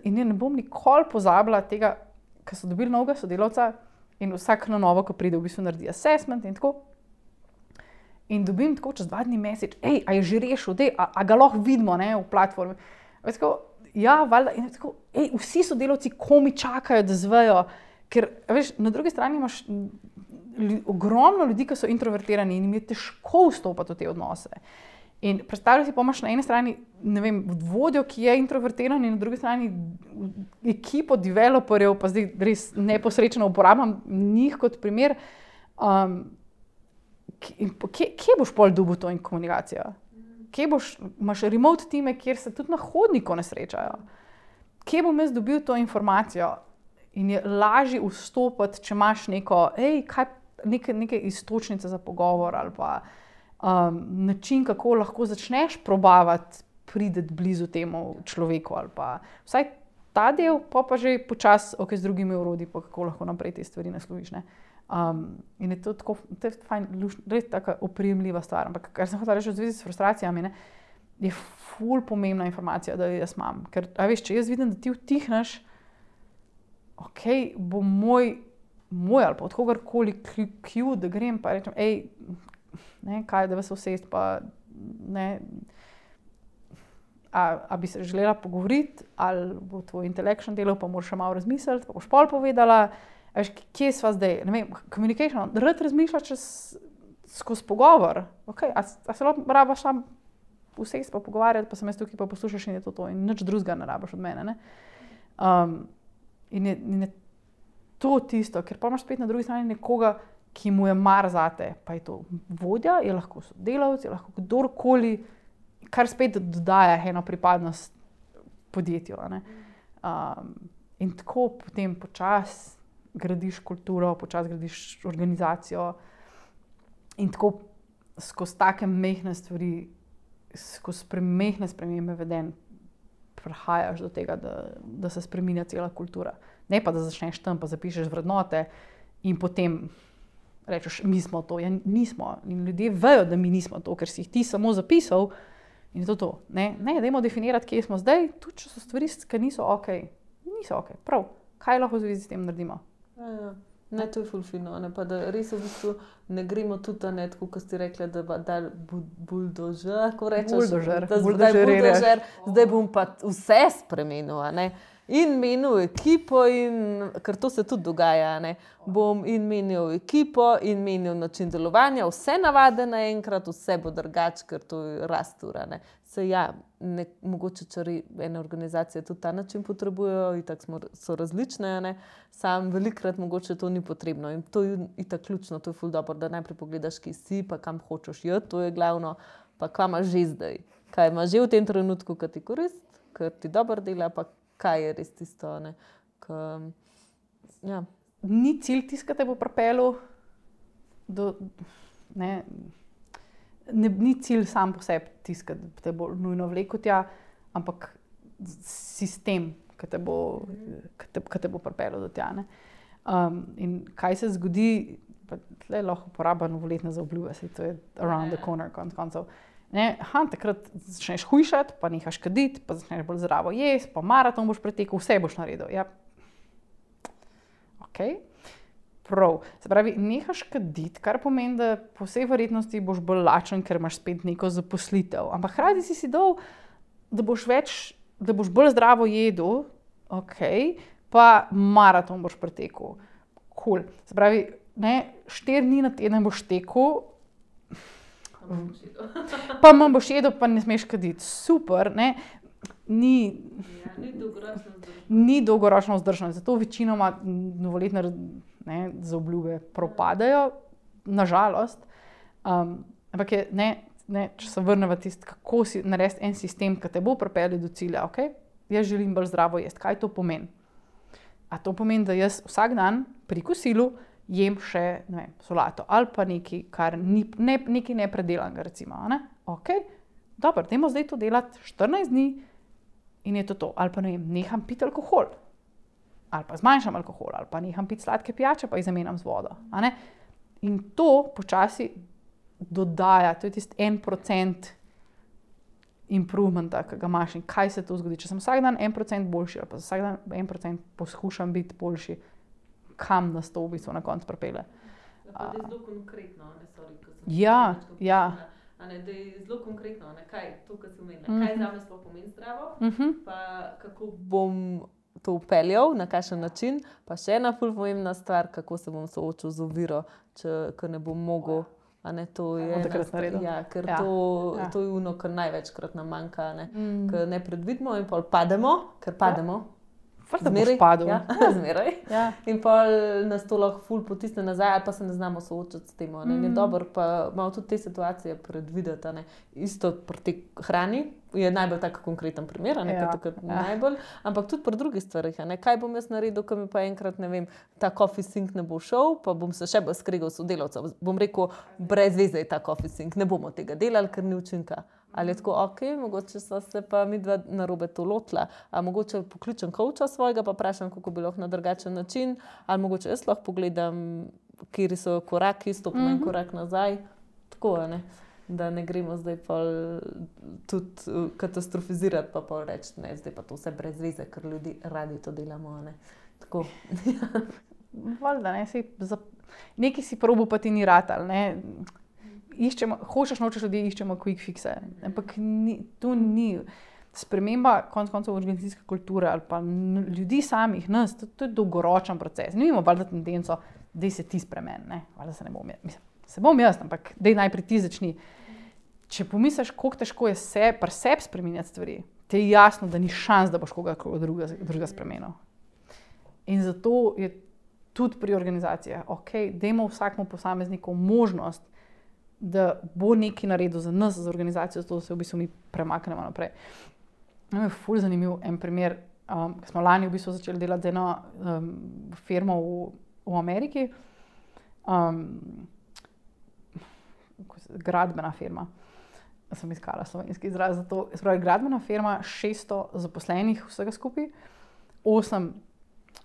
In ne bom nikoli pozabila tega, ker so dobili novega sodelavca in vsak na novo, ko pride, v bistvu naredi assessment in tako. In dobim tako čez dva dni message, ej, a je že rešil, dej, a, a ga lahko vidimo, ne, v platformi. Tako, ja, valjda, in tako, ej, vsi sodelavci komi čakajo, da zvejo, ker, veš, na drugi strani imaš ogromno ljudi, ki so introvertirani in jim je težko vstopati v te odnose. In predstavljaj si, pa imaš na eni strani, ne vem, vodjo, ki je introvertiran in na drugi strani ekipo developerjev, pa zdaj res neposrečeno uporabljam njih kot primer. Um, kje, kje boš pol dobil to in komunikacijo? Kje boš, imaš remote time, kjer se tudi na hodniku ne srečajo? Kje bom jaz dobil to informacijo? In je lažje vstopiti, če imaš neko, ej, kaj, neke, neke istočnice za pogovor ali pa um, način, kako lahko začneš probavati prideti blizu temu človeku ali pa vsaj ta del, pa pa že počasi, ok, z drugimi orodji, pa kako lahko naprej te stvari nasloviš, ne. Um, in je to tako, to je fajn, res taka oprijemljiva stvar. Ampak kar sem hotela reči v zvezi s frustracijami, ne, je ful pomembna informacija, da jo jaz imam. Ker, a veš, če jaz vidim, da ti utihneš, ok, bo moj, moj ali pa od kogarkoli kju, da grem pa rečem, ej, ne, kaj, da vas vsest, pa ne, a, a bi se želela pogovoriti, ali bo tvoj intelekšen delal, pa moraš še malo razmisliti, pa boš pol povedala, veš, kje sva zdaj, ne vem, communication, rad razmišljaš čez, skozi pogovor, ok, a, a se lahko rabaš sam vsest pa pogovarjati, pa sem jaz tukaj pa poslušaš in je to to, in nič drugega ne rabaš od mene, ne. Um, In je, in je to tisto, ker pa imaš spet na drugi strani nekoga, ki mu je mar zate, pa je to vodja, je lahko sodelavec, je lahko kdorkoli, kar spet dodaja eno pripadnost podjetju. Ne? Um, in tako potem počasi gradiš kulturo, počasi gradiš organizacijo in tako skozi take mehne stvari, skozi mehne spremembe vedenj, prihajaš do tega, da, da se spreminja cela kultura. Ne pa, da začneš tam, pa zapišeš vrednote in potem rečeš, mi smo to. Ja, nismo. In ljudje vejo, da mi nismo to, ker si jih ti samo zapisal in je to to. Ne, ne, dajmo definirati, kje smo zdaj, tudi če so stvari, ki niso ok. Niso ok. Prav. Kaj lahko v zvezi s tem naredimo? Ja, ja. Ne, to je ful fino, ne, pa da res v bistvu ne gremo tudi, ne, tako, ko ste rekli, da da buldožer, ko rečeš, buldožer, da zdaj buldožer, zdaj bom pa vse spremenil, ne, in menil ekipo, in, ker to se tudi dogaja, ne, bom in menil ekipo, in menil način delovanja, vse navade naenkrat, vse bo drugače, ker to je rastura, ne. se ja, ne, mogoče čari ene organizacije tudi ta način potrebujejo, itak smo, so različne, ne? Sam velikrat mogoče to ni potrebno in to je itak ključno, to je ful dobro, da najprej pogledaš, ki si, pa kam hočeš iti, to je glavno, pa kaj imaš že zdaj, kaj imaš že v tem trenutku, ki ti korist, ki ti dobro dela, pa kaj je res tisto, ne? K, ja. Ni cilj tisti, ki te bo pripeljal do, ne, ne, ni cilj sam po sebi tisti, ki te bo nujno vlekel tja, ampak sistem, ki te bo, ki te, ki te bo pripeljal do tja, ne. Um, in kaj se zgodi, pa tle lahko uporaba novoletne zaobljube, saj to je around the corner, konec koncev. Ne, aha, takrat začneš hujšati, pa nehaš kaditi, pa začneš bolj zdravo jesti, pa maraton boš pretekel, vse boš naredil. Ja. Ok. Prav. Se pravi, nehaš kaditi, kar pomeni, da po vsej verjetnosti boš bolj lačen, ker imaš spet neko zaposlitev. Ampak hkrati si si dal, da boš več, da boš bolj zdravo jedel, ok, pa maraton boš pretekel. Cool. Se pravi, ne, štiri dni na teden boš tekel, pa manj boš jedel, pa ne smeš kaditi. Super, ne, ni, Ja, ni dolgoročno vzdržno. ni dolgoročno vzdržno. Zato večinoma novoletne ne, zaobljube propadajo, nažalost. Um, ampak je, ne, ne, če se vrnemo tisto, kako si narediti en sistem, ki te bo pripeljal do cilja, ok? Jaz želim bolj zdravo jesti. Kaj to pomeni? A to pomeni, da jaz vsak dan pri kosilu jem še, ne vem, solato ali pa nekaj, kar ni, ne, nekaj nepredelanega, recimo, ne? Ok, dobro, dajmo zdaj to delati štirinajst dni in je to to. Ali pa ne vem, neham piti alkohol, ali pa zmanjšam alkohol, ali pa neham piti sladke pijače, pa jih zamenjam z vodo, a ne? In to počasi dodaja, to je tisti en procent improvementa, ki ga imaš in kaj se to zgodi. Če sem vsak dan en procent boljši, ali pa vsak dan en procent poskušam biti boljši, kam nas to v bistvu na koncu pripelje. Pa da je zelo konkretno, ne, sorry, ko sem Ja, nekaj ja. povedala. A ne, da je zelo konkretno, ne, kaj to, kar si omenila, Mhm. kaj zame sploh pomeni zdravo, Mhm. pa kako bom to vpeljal, na kakšen način, pa še ena ful pomembna stvar, kako se bom soočil z oviro, če ko ne bom mogel, a ne, to je bom ena takrat stvar, naredil. ja, ker Ja, to, ja. to je ono, kar največkrat nam manjka, a ne, Mm. ker ne predvidimo in pol pademo, ker pademo, Fakt, da boš padel. ja, zmeraj. Ja. In pol nas to lahko ful potisne nazaj, ali pa se ne znamo soočiti s tem. a ne. Mm. Je dobro pa malo tudi te situacije predvideti. a ne. Isto pri tej hrani je najbolj tak konkreten primer, a ne, Ja, ja, takrat ja. najbolj, ampak tudi pri drugih stvarih. a ne. Kaj bom jaz naredil, ko mi pa enkrat, ne vem, ta coffee sink ne bo šel, pa bom se še bolj skregal s sodelavcem. Bom rekel, brez veze je ta coffee sink, ne bomo tega delali, ker ni učinka. Ali je tako, ok, mogoče so se pa midva narobe to lotila, a mogoče pokličem coacha svojega, pa vprašam, kako bi lahko na drugačen način, ali mogoče jaz lahko pogledam, kje so koraki, stopim en Mhm. korak nazaj, tako, a ne, da ne gremo zdaj pol tudi uh, katastrofizirati, pa pol reči, ne, zdaj pa to vse brez veze, ker ljudi radi to delamo, a ne, tako. Valjda, ne, saj za, nekaj si probo, pa ti ni ratal, ne. Iščemo, hočeš, nočeš ljudi, iščemo quick fixe, ampak ni, to ni sprememba konec koncev organizacijske kulture ali pa n- ljudi samih, nas, to, to je dolgoročen proces. Ne imamo valjda tendenco, daj se ti spremeni, ne, valjda se ne bom jaz, mislim, se bom jaz, ampak daj najprej ti začni. Če pomisliš, koliko težko je se, pri sebi spreminjati stvari, ti je jasno, da ni šans, da boš koga druga, druga spremenil. In zato je tudi pri organizacijah, ok, dajmo vsakmu posamezniku možnost, da bo nekaj naredil za nas, za organizacijo, zato da se v bistvu mi premaknemo naprej. No, je ful zanimiv en primer, um, ko smo lani v bistvu začeli delati z eno um, firmo v, v Ameriki, um, gradbena firma, sem iskala slovenski izraz za to, spravi, gradbena firma, šeststo zaposlenih vsega skupaj, osem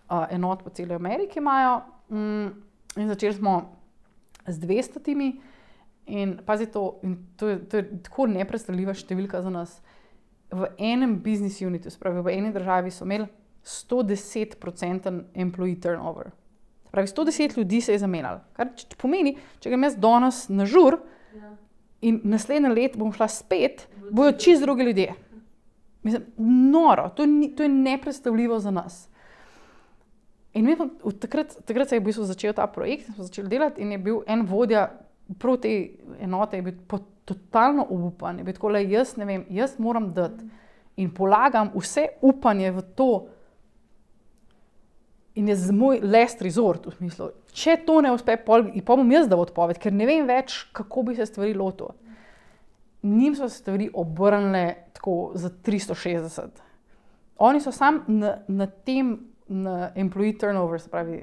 uh, enot po celi Ameriki imajo, um, in začeli smo z dvestotimi. In pazi to, in to je, to je tako nepredstavljiva številka za nas. V enem business unitu, spravi v eni državi, so imeli sto deset procentov employee turnover. Spravi, sto deset ljudi se je zamenjalo. Kar č- pomeni, če grem jaz danes na žur Ja. in naslednje let bom šla spet, bojo čisto drugi ljudje. Mislim, noro, to, ni, to je nepredstavljivo za nas. In mi smo, v takrat, takrat se je v bistvu začel ta projekt, smo začeli delati in je bil en vodja prav te enote, je bil totalno obupan. Je tako, le, jaz ne vem, jaz moram dati in polagam vse upanje v to in je z moj last resort v smislu, če to ne uspe, pol, pol bom jaz dal odpoved, ker ne vem več, kako bi se stvari lotil. Njim so stvari obrnile tako za tristo šestdeset. Oni so sam na, na tem, na employee turnover, se pravi,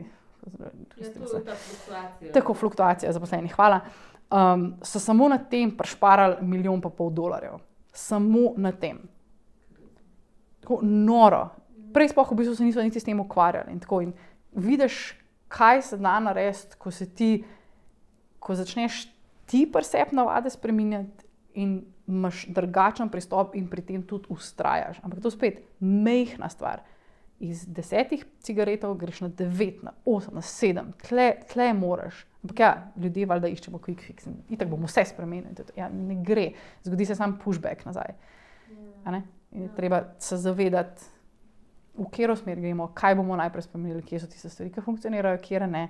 Je to ta fluktuacija. tako fluktuacija zaposlenih, hvala, um, so samo na tem prešparali milijon pa pol dolarjev. Samo na tem. Tako noro. Prej sploh v bistvu se niso niti s tem ukvarjali. In tako, in vidiš, kaj se da narediti, ko se ti, ko začneš ti percept navade spreminjati in imaš drugačen pristop in pri tem tudi ustrajaš. Ampak to spet majhna stvar. Iz desetih cigaretov greš na devet, na osem, na sedem. Tle, tle moraš. Ampak ja, ljudje valjda iščemo quick fix. In tako bomo vse spremenili. Ja, ne gre. Zgodi se sam pushback nazaj. A ne? In je treba se zavedati, v katero smer gremo, kaj bomo najprej spremenili, kje so tiste stvari, ki funkcionirajo, kje ne,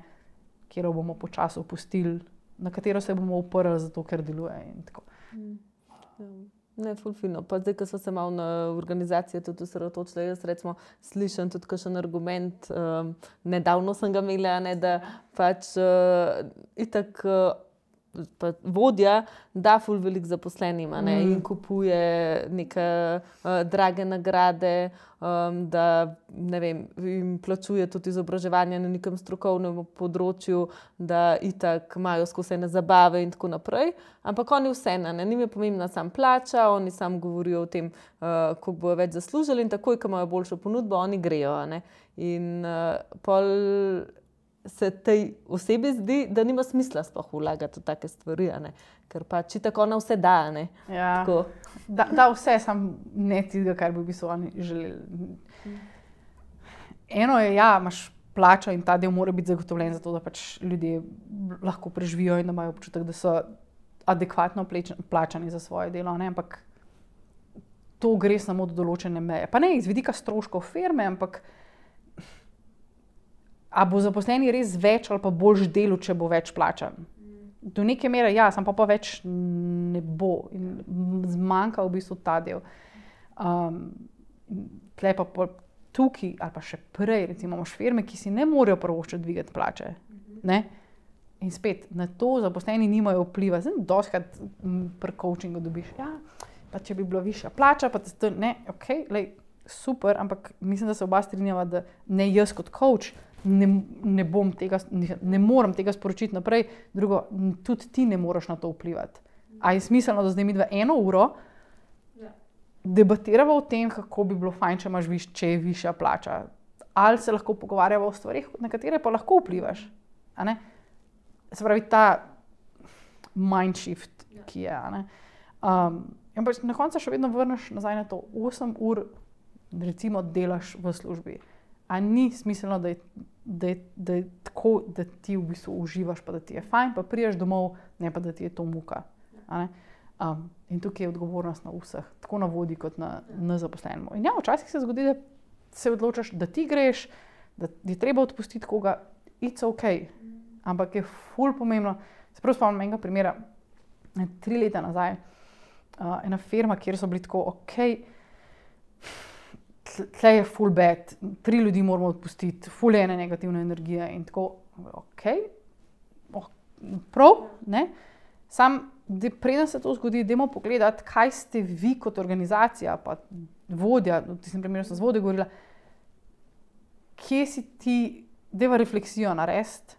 katero bomo počasi opustili, na katero se bomo uprli, zato ker deluje. In tako. Ne, ful fino. Pa zdaj, ko so se malo na organizacije tudi osredotočile, jaz recimo slišim tudi kakšen argument, um, nedavno sem ga imela, ne, da pač uh, itak uh, pa vodja da ful veliko zaposlenim, a ne, Mm. in kupuje neke uh, drage nagrade, um, da ne vem, jim plačuje tudi izobraževanje na nekem strokovnem področju, da itak imajo skozi ene zabave in tako naprej. Ampak oni vseeno, ne, njim je pomembna sam plača, oni sam govorijo o tem, uh, koliko bojo več zaslužili in takoj, ko imajo boljšo ponudbo, oni grejo, a ne. In uh, pol se tej osebi zdi, da nima smisla sploh vlagati v take stvari, a ne. Ker pač itak ona vse da, a ne. Ja, Tako. da, da vse, sam ne tistega, kar bi v bistvu oni želeli. Eno je, ja, imaš plačo in ta del mora biti zagotovljen zato, da pač ljudje lahko preživijo in da imajo občutek, da so adekvatno pleč- plačani za svoje delo, ne, ampak to gre samo do določene meje. Pa ne iz vidika stroškov firme, ampak a bo zaposleni res več ali pa boljš delu, če bo več plačan. Do neke mere, ja, sam pa pa več ne bo. In zmanjka v bistvu ta del. Um, tle pa pol tukaj, ali pa še prej, recimo imaš firme, ki si ne morejo privoščiti dvigati plače. Ne? In spet, na to zaposleni nimajo vpliva. Zdaj, dostikrat pri coachingu dobiš, ja, pa če bi bila višja plača, pa to, ne, ok, lej, super, ampak mislim, da se oba strinjava, da ne jaz kot coach ne, ne bom tega, ne, ne morem tega sporočiti naprej, drugo, tudi ti ne moreš na to vplivati. A je smiselno, da zdaj midva eno uro debatirava o tem, kako bi bilo fajn, če imaš viš, če je višja plača. Ali se lahko pogovarjava o stvarih, na katere pa lahko vplivaš. A ne? Se pravi, ta mind shift, ki je. A ne? Um, in pač na koncu še vedno vrneš nazaj na to. osem ur recimo delaš v službi. A ni smiselno, da je, da je, da je tako, da ti v bistvu uživaš, pa da ti je fajn, pa prideš domov, ne pa da ti je to muka. A ne? Um, in tukaj je odgovornost na vseh, tako na vodji kot na, na zaposlenem. In ja, včasih se zgodi, da se odločaš, da ti greš, da je treba odpustiti koga, it's ok. Ampak je ful pomembno. Se prav spomnim enega primera, tri leta nazaj, uh, ena firma, kjer so bili tako, ok, tle je ful bad, tri ljudi moramo odpustiti, ful je ene negativne energije in tako, ok, oh, prav, ne? Sam, da preden se to zgodi, dajmo pogledati, kaj ste vi kot organizacija, pa vodja, v tistem primeru sem z vodjo govorila, kje si ti, dajva refleksijo narediti,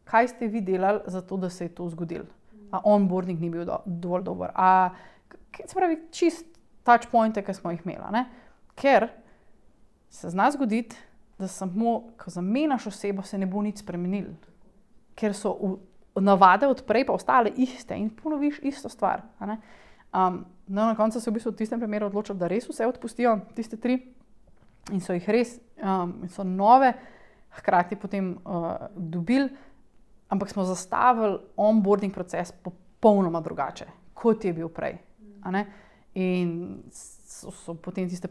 kaj ste vi delali za to, da se je to zgodilo. A onboarding ni bil do, dovolj dober. A, se pravi, čist touch pointe, ki smo jih imeli, ne? Ker se zna zgoditi, da samo, ko zamenjaš osebo, se ne bo nič spremenilo. Ker so v, navade od prej pa ostale iste in ponoviš isto stvar. A ne? Um, no, na koncu se v bistvu v tistem primeru odločili, da res vse odpustijo, tiste tri, in so jih res, um, in so nove, hkrati potem uh, dobili, ampak smo zastavili onboarding proces popolnoma drugače, kot je bil prej. A ne? In so, so potem tiste,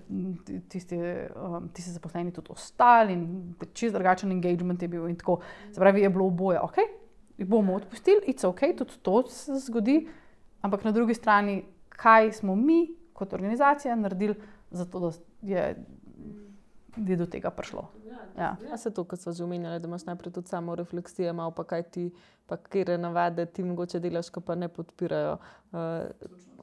tiste, um, tiste zaposleni tudi ostali in čist drugačen engagement je bil in tako. Se pravi, je bilo oboje, ok, bomo odpustili, it's ok, tudi to se zgodi, ampak na drugi strani, kaj smo mi kot organizacija naredili, zato da je, je do tega prišlo. Ja. Ja, se to, kot so že omenjali, da imaš najprej tudi samo refleksije, malo pa kaj ti, pa kere navade ti mogoče delaš, ki pa ne podpirajo, uh,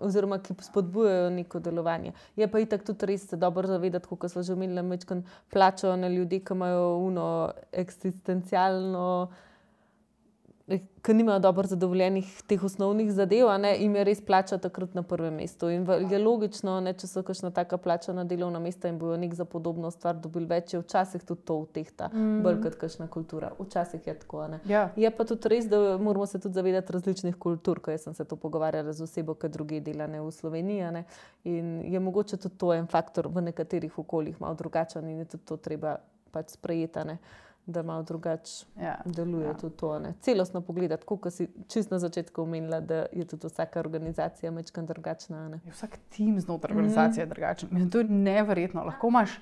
oziroma ki spodbujajo neko delovanje. Je pa itak tudi res se dobro zavedati, kot smo že omenili, mečkan plačajo na ljudi, ki imajo uno eksistencialno, ki nimajo dobro zadovoljenih teh osnovnih zadev, ne, im je res plača takrat na prvem mestu. In je logično, ne, če so kakšna taka plačana delovna mesta in bojo nek za podobno stvar dobili več, je včasih tudi to utehta, mm. bolj kot kakšna kultura. Včasih je tako. Ne. Ja. Je pa tudi res, da moramo se tudi zavedati različnih kultur, ko jaz sem se to pogovarjala z osebo, ki druge dela ne v Sloveniji. Ne. In je mogoče tudi to en faktor v nekaterih okoljih malo drugačen in je tudi to treba pač sprejeti, ne. Da malo drugače Ja, deluje ja. tudi to. Ne. Celostno pogledati, kot si čist na začetku omenila, da je tudi vsaka organizacija majčkeno drugačna. Ne. Vsak tim znotraj organizacije je drugačen. Mislim, to je neverjetno. Lahko imaš,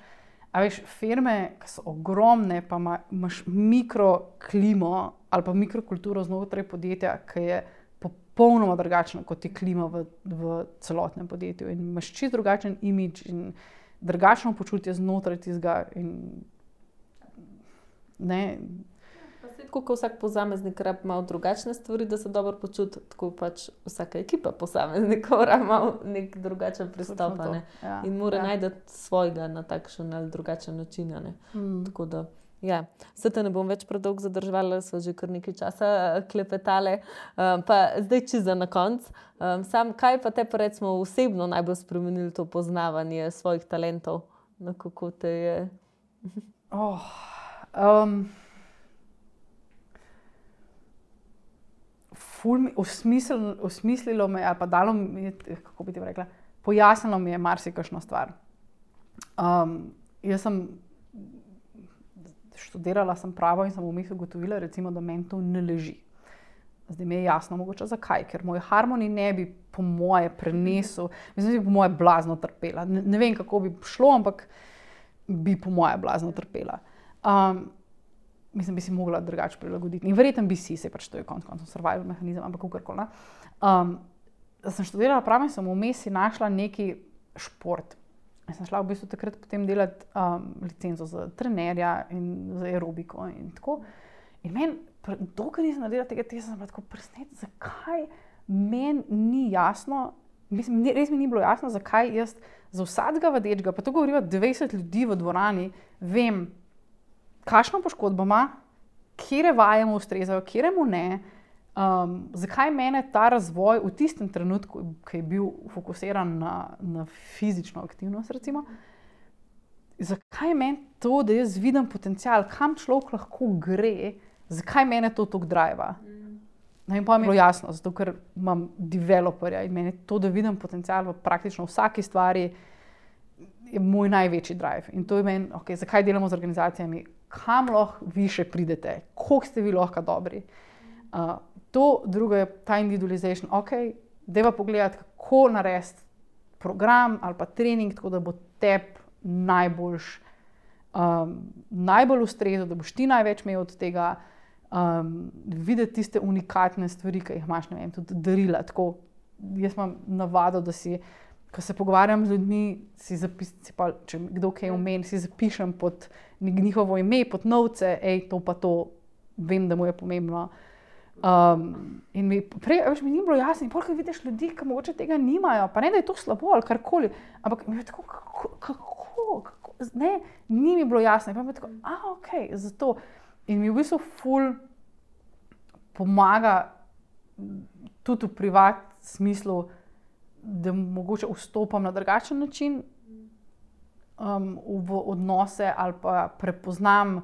a veš, firme, ki so ogromne, pa ima, imaš mikroklimo ali pa mikrokulturo znotraj podjetja, ki je popolnoma drugačna kot je klima v, v celotnem podjetju. In imaš čist drugačen imidž in drugačno počutje znotraj tistega. In ne. Tako kot vsak posameznik rabi malo drugačne stvari, da se dobro počuti, tako pač vsaka ekipa posameznikov rabi malo nek drugačen pristop. Ne. Ja. In mora Ja. najti svojega na takšen ali drugačen način. Ne. Mm. Tako da, ja, se te ne bom več predolgo zadrževala, sva že kar nekaj časa klepetale. Um, pa zdaj čisto na konec. Um, sam, kaj pa te pa recimo osebno najbolj spremenili to poznavanje svojih talentov? No, kako te je? Oh. Um, ful mi, osmislilo, osmislilo me, ali pa dalo mi, kako bi ti rekla, pojasnilo mi je marsikakšno stvar. Um, jaz sem študirala sem pravo in sem vmes ugotovila, recimo, da meni to ne leži. Zdaj mi je jasno mogoče zakaj, ker moj harmonij ne bi po moje prenesel, mislim, da bi po moje blazno trpela. Ne, ne vem, kako bi šlo, ampak bi po moje blazno trpela. Um, mislim, bi si mogla drugače prilagoditi. In verjetno bi si, se pač to je konc koncev survival mehanizem, ampak kakorkoli. Um, sem študirala pravo in sem vmes si našla neki šport. Jaz sem šla v bistvu takrat potem delati um, licenco za trenerja in za aerobiko in tako. In meni, dokler nisem naredila tega testa, sem bila tako presnet, zakaj meni ni jasno, mislim, res mi ni bilo jasno, zakaj jaz za vsakega vadečega, pa to govoriva dvajset ljudi v dvorani, vem, kakšno poškodbo ima, katere vaje mu ustrezajo, katere mu ne, um, zakaj mene ta razvoj v tistem trenutku, ki je bil fokusiran na, na fizično aktivnost, recimo, zakaj meni to, da jaz vidim potencial, kam človek lahko gre, zakaj mene to toliko driva. No, in pa mi je bilo jasno, zato ker imam developerja in meni to, da vidim potencial v praktično vsaki stvari, je moj največji drive. In to je meni, okay, zakaj delamo z organizacijami, kam lahko vi še pridete, koliko ste vi lahko dobri. Uh, to drugo je ta individualization. Ok, dajva pogledati, kako narediti program ali pa trening, tako da bo tebi najboljš, um, najbolj ustrezal, da boš ti največ imel od tega, um, videti tiste unikatne stvari, ki jih imaš, ne vem, tudi darila. Tako, jaz imam navado, da si, ko se pogovarjam z ljudmi, si zapisam, če kdo kaj omeni, si zapišem pod njihovo ime, pod novce, ej, to pa to, vem, da mu je pomembno. Um, in mi, prej, veš, mi ni bilo jasno, in pol, ko vidiš ljudi, ki mogoče tega nimajo, pa ne, da je to slabo ali karkoli, ampak mi je tako, kako, kako, kako, ne, ni mi bilo jasno. In pa mi je tako, a, ok, zato. In mi v bistvu ful pomaga tudi v privat smislu, da mogoče vstopam na drugačen način um, v odnose ali pa prepoznam,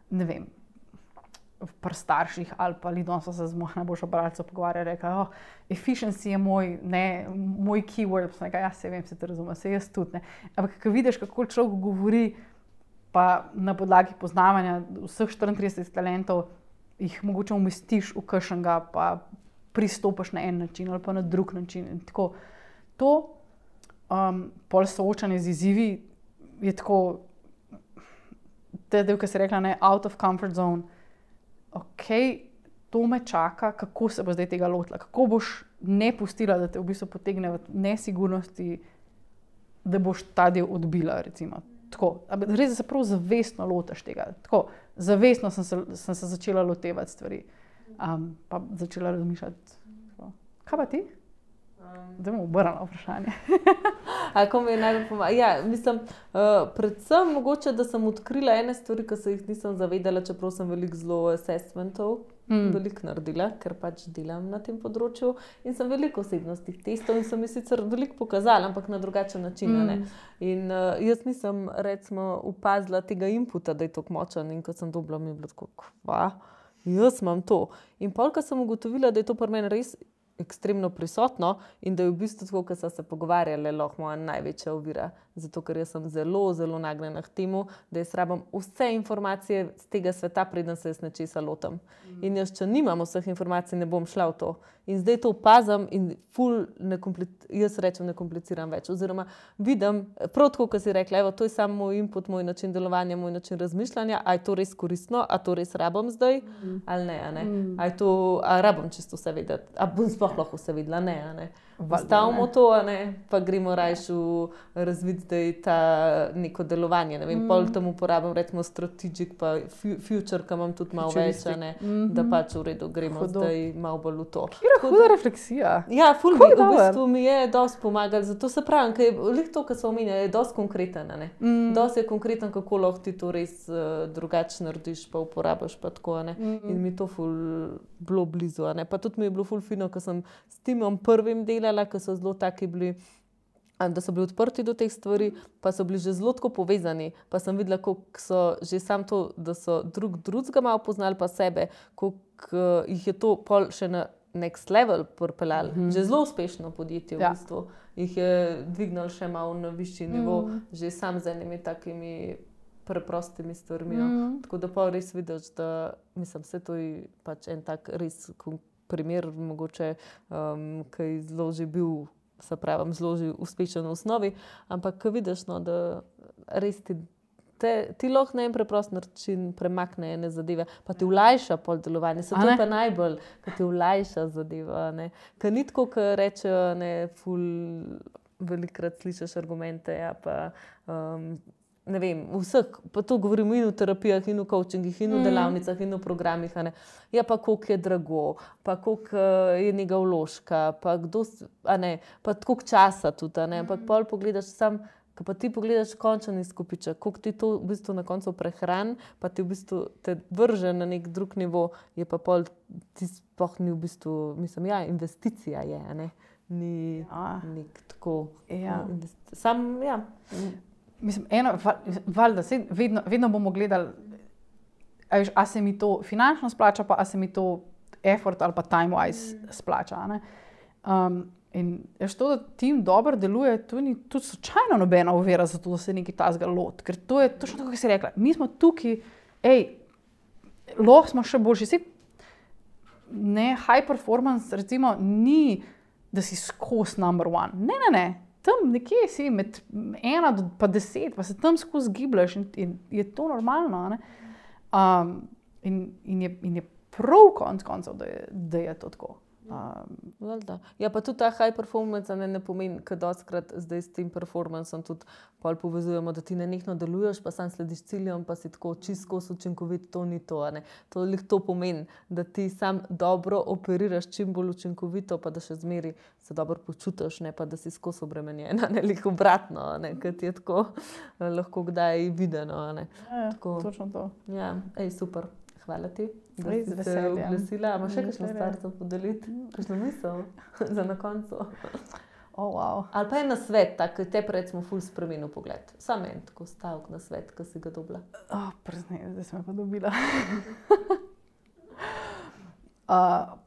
ne vem, pri starših ali pa lidom so se z mojim najboljšo bralco pogovarjali, rekli, oh, efficiency je moj, ne, moj keyword, sem rekla, ja, se vem, se te razumem, se jaz tudi, ne. Ampak, ko vidiš, kako človek govori, pa na podlagi poznavanja vseh štiriintrideset talentov, jih mogoče umestiš v kakšnega, pa pristopiš na en način ali pa na drug način. In tako, to um, pol soočanje z izzivi je tako, te del, ki si rekla, ne, out of comfort zone, ok, to me čaka, kako se bo zdaj tega lotila, kako boš ne pustila, da te v bistvu potegne v nesigurnosti, da boš ta del odbila, recimo. Tako, res se prav zavestno lotaš tega. Tako, zavestno sem se, sem se začela lotevati stvari. Um, pa začela razmišljati. Tako. Kaj pa ti? Zdaj bomo obrnili vprašanje. A ko mi je najbolj pomagalo? Ja, mislim, uh, predvsem mogoče, da sem odkrila ene stvari, ki se jih nisem zavedala, čeprav sem veliko zelo assessmentov mm. veliko naredila, ker pač delam na tem področju in sem veliko osebnostnih testov in sem mi sicer veliko pokazala, ampak na drugačen način. Mm. Ne? In uh, jaz nisem, recimo, opazila tega inputa, da je tako močen in ko sem dobila, mi je bilo tako, kva, jaz imam to. In pol, ko sem ugotovila, da je to pri meni res ekstremno prisotno in da je v bistvu tako, ko so se pogovarjali, lahko moja največja ovira. Zato, ker jaz sem zelo, zelo nagnjena k temu, da jaz rabim vse informacije z tega sveta, preden se jaz nečesa lotam. Mm. In jaz, če nimam vseh informacij, ne bom šla v to. In zdaj to opazam in ful ne jaz rečem, ne kompliciram več. Oziroma vidim, prav tako, ko si rekla, evo, to je samo moj input, moj način delovanja, moj način razmišljanja, a je to res koristno, a to res rabim zdaj, mm. ali ne, a ne. Mm. A je to, a rabim čisto vse vedeti, a bom sploh lahko vse vedela, ne, a ne. Stavimo to, a ne, pa gremo rajš v razvid, da je ta neko delovanje, ne vem, mm. pol tam uporabim, recimo strategic, pa future, ki imam tudi malo več, a ne, mm-hmm. da pač v redu gremo Hudo. Zdaj malo bolj v to. Kira huda refleksija. Ja, ful mi, v bistvu mi je dosti pomagali, zato se pravim, ker je lih to, kar se omenja, je dosti konkreten, a ne. Mm. Dosti je konkreten, kako lahko ti to res uh, drugače narediš, pa uporabiš, pa tako, a ne. Mm-hmm. In mi to ful bilo blizu, a ne. Pa tudi mi je bilo ful fino, ko sem s timom prvim delala, ko so zelo taki bili, da so bili odprti do teh stvari, pa so bili že zelo tako povezani, pa sem videla, koliko so že sam to, da so drug drugega malo poznali pa sebe, koliko jih je to pol še na next level pripeljali. Mm-hmm. Že zelo uspešno podjetje v ja. bistvu. Jih je dvignalo še malo na višji nivo, mm-hmm. že sam z enimi takimi preprostimi stvarmi. No. Mm-hmm. Tako da pa res vidiš, da mislim, vse to je pač en tak res primer, mogoče, um, ki je zelo že bil, se pravim, zelo že uspešen v osnovi, ampak ko vidiš, no, da res ti, te, ti lahko na en preprost način premakne ene zadeve, pa ti olajša pol delovanje. Se to je pa najbolj, ko ti olajša zadeva. Ker ni tako, ko rečejo, ne, ful, velikrat slišiš argumente, ja, pa um, ne vem, vseh, pa to govorimo in v terapijah, in v coachingih, in v delavnicah, in v programih, a ne. Ja, pa koliko je drago, pa koliko je njega vložka, pa kdo, a ne, pa koliko časa tudi, a ne, ampak pol pogledaš sam, ko pa ti pogledaš končen izkupiček, koliko ti to v bistvu na koncu prehran, pa ti v bistvu te vrže na nek drug nivo, je pa pol, ti sploh ni v bistvu, mislim, ja, investicija je, a ne, ni ja. nek tako, ja. investi- sam, ja, Mislim, eno, valjda, vedno, vedno bomo gledali, a, veš, a se mi to finančno splača, pa a se mi to effort ali pa time-wise mm. splača. Ne? Um, in veš, to, da tim dobro deluje, to ni tudi slučajno nobena ovira za to, da se nekaj tazga lot. Ker to je točno tako, kot si rekla. Mi smo tukaj, ej, lahko smo še boljši. Sej, ne, high performance, recimo, ni, da si skos number one. Ne, ne, ne. Tam nekje si med ena do pa deset, pa se tam skozi gibljaš in, in je to normalno. Ne? Um, in, in, je, in je prav konc koncev, da je, da je to tako. Um, ja, pa tudi ta high performance ne, ne pomeni, ker dostikrat zdaj s tem performanceom tudi pol povezujemo, da ti nenehno deluješ, pa sam slediš ciljem, pa si tako čisto učinkovit, to ni to. Ne. To lih to pomeni, da ti sam dobro operiraš čim bolj učinkovito, pa da še zmeri se dobro počutiš, ne, pa da si skozi obremenjena, ne, lih obratno, ne, ker ti je tako lahko kdaj videno. Ne. Ja, tako, točno to. Ja, ej, super. Hvala ti, da Res si se oglasila. Ima še kakšno stvar za podeliti? Kakšno misel za na koncu? Oh, wow. Ali pa je na svet, tako te recimo ful spremenil pogled. Sam en tako stavek na svet, ki si ga dobila. Oh, preznej, zdaj sem pa dobila. uh,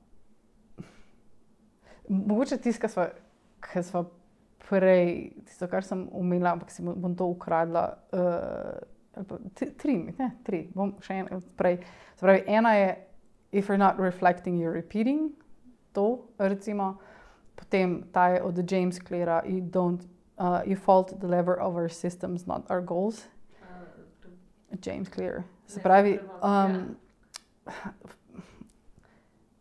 mogoče tisto, kar sva prej, tisto, kar sem umela, ampak si bom to ukradla, uh, Tri, ne, tri, bom še en prej. Spravi, ena je, if you're not reflecting, you're repeating, to, recimo. Potem ta je od James Cleara, you don't, uh, you fault the lever of our systems, not our goals. Uh, James Clear. Se pravi, um,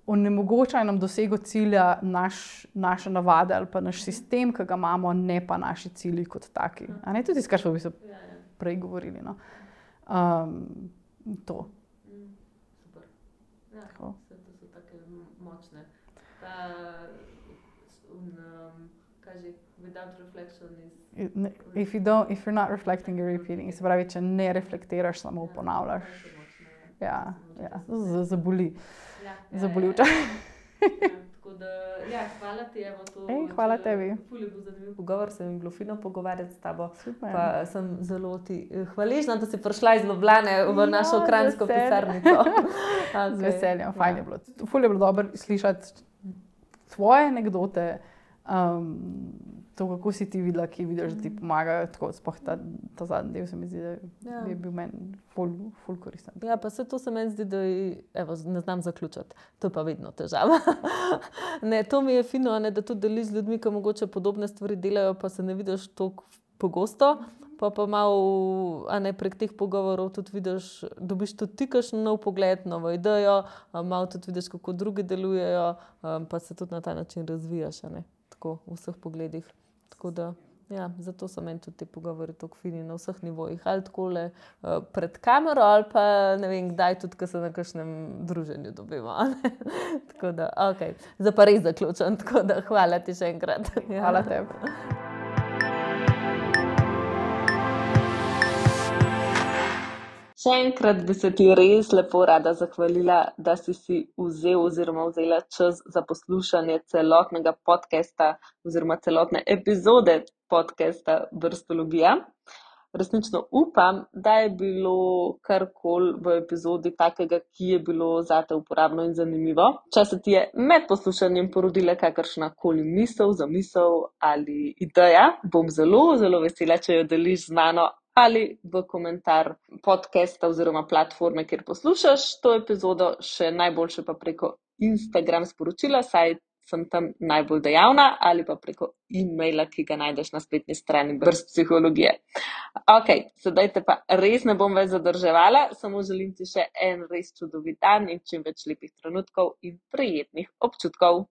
onemogočajo nam dosego cilja naš, naše navade ali pa naš sistem, ki ga imamo, ne pa naši cilji kot taki. A ne, tudi skar smo v bistvu prej govorili. No. Um, to. Super. Ja, to so take močne. Ta, um, kaže, without reflection is... If you don't, if you're not reflecting, you're repeating. Se pravi, če ne reflektiraš, samo ponavljaš. Ja, ja, zaboli. Zaboli včasih. Tako da, ja, hvala ti, evo to. Ej, hvala tebi. Ful je bil zanimiv pogovor, se mi je bilo fino pogovarjati s tabo. Super. Pa sem zelo ti hvaležna, da si prišla iz Ljubljane v našo kranjsko pisarnico. Z veseljem, fajn je bilo. Ful je bilo dobro slišati tvoje anekdote, um, to, kako si ti videla, ki vidiš, da ti pomagajo, tako sploh ta, ta zadnji del se mi zdi, da ja. je bil meni ful, ful koristen. Ja, pa se to se meni zdi, da evo, ne znam zaključiti. To je pa vedno težava. Ne, to mi je fino, ne, da tudi deliš z ljudmi, ki mogoče podobne stvari delajo, pa se ne vidiš toliko pogosto, pa pa malo, a ne, prek teh pogovorov tudi vidiš, dobiš tudi ti kakšen nov pogled, novo idejo, malo tudi vidiš, kako drugi delujejo, pa se tudi na ta način razvijaš, a ne, tako v vseh pogledih. Tako da, ja, zato so meni tudi te pogovori tako fini na vseh nivojih. Ali takole uh, pred kamero, ali pa ne vem, kdaj tudi, ko se na kakšnem druženju dobimo. Tako da, ok, zdaj pa res zaključam. Tako da, hvala ti še enkrat. Hvala tebi. Še enkrat bi se ti res lepo rada zahvalila, da si si vzel oziroma vzela čas za poslušanje celotnega podcasta oziroma celotne epizode podcasta Brstologija. Resnično upam, da je bilo karkoli v epizodi takega, ki je bilo zate uporabno in zanimivo. Če se ti je med poslušanjem porodila kakršna koli misel, zamisel ali ideja, bom zelo, zelo vesela, če jo deliš z mano ali v komentar podcasta oziroma platforme, kjer poslušaš to epizodo, še najboljše pa preko Instagram sporočila, saj sem tam najbolj dejavna, ali pa preko e-maila, ki ga najdeš na spletni strani Brst psihologije. Ok, sedaj te pa res ne bom več zadrževala, samo želim ti še en res čudovit dan in čim več lepih trenutkov in prijetnih občutkov.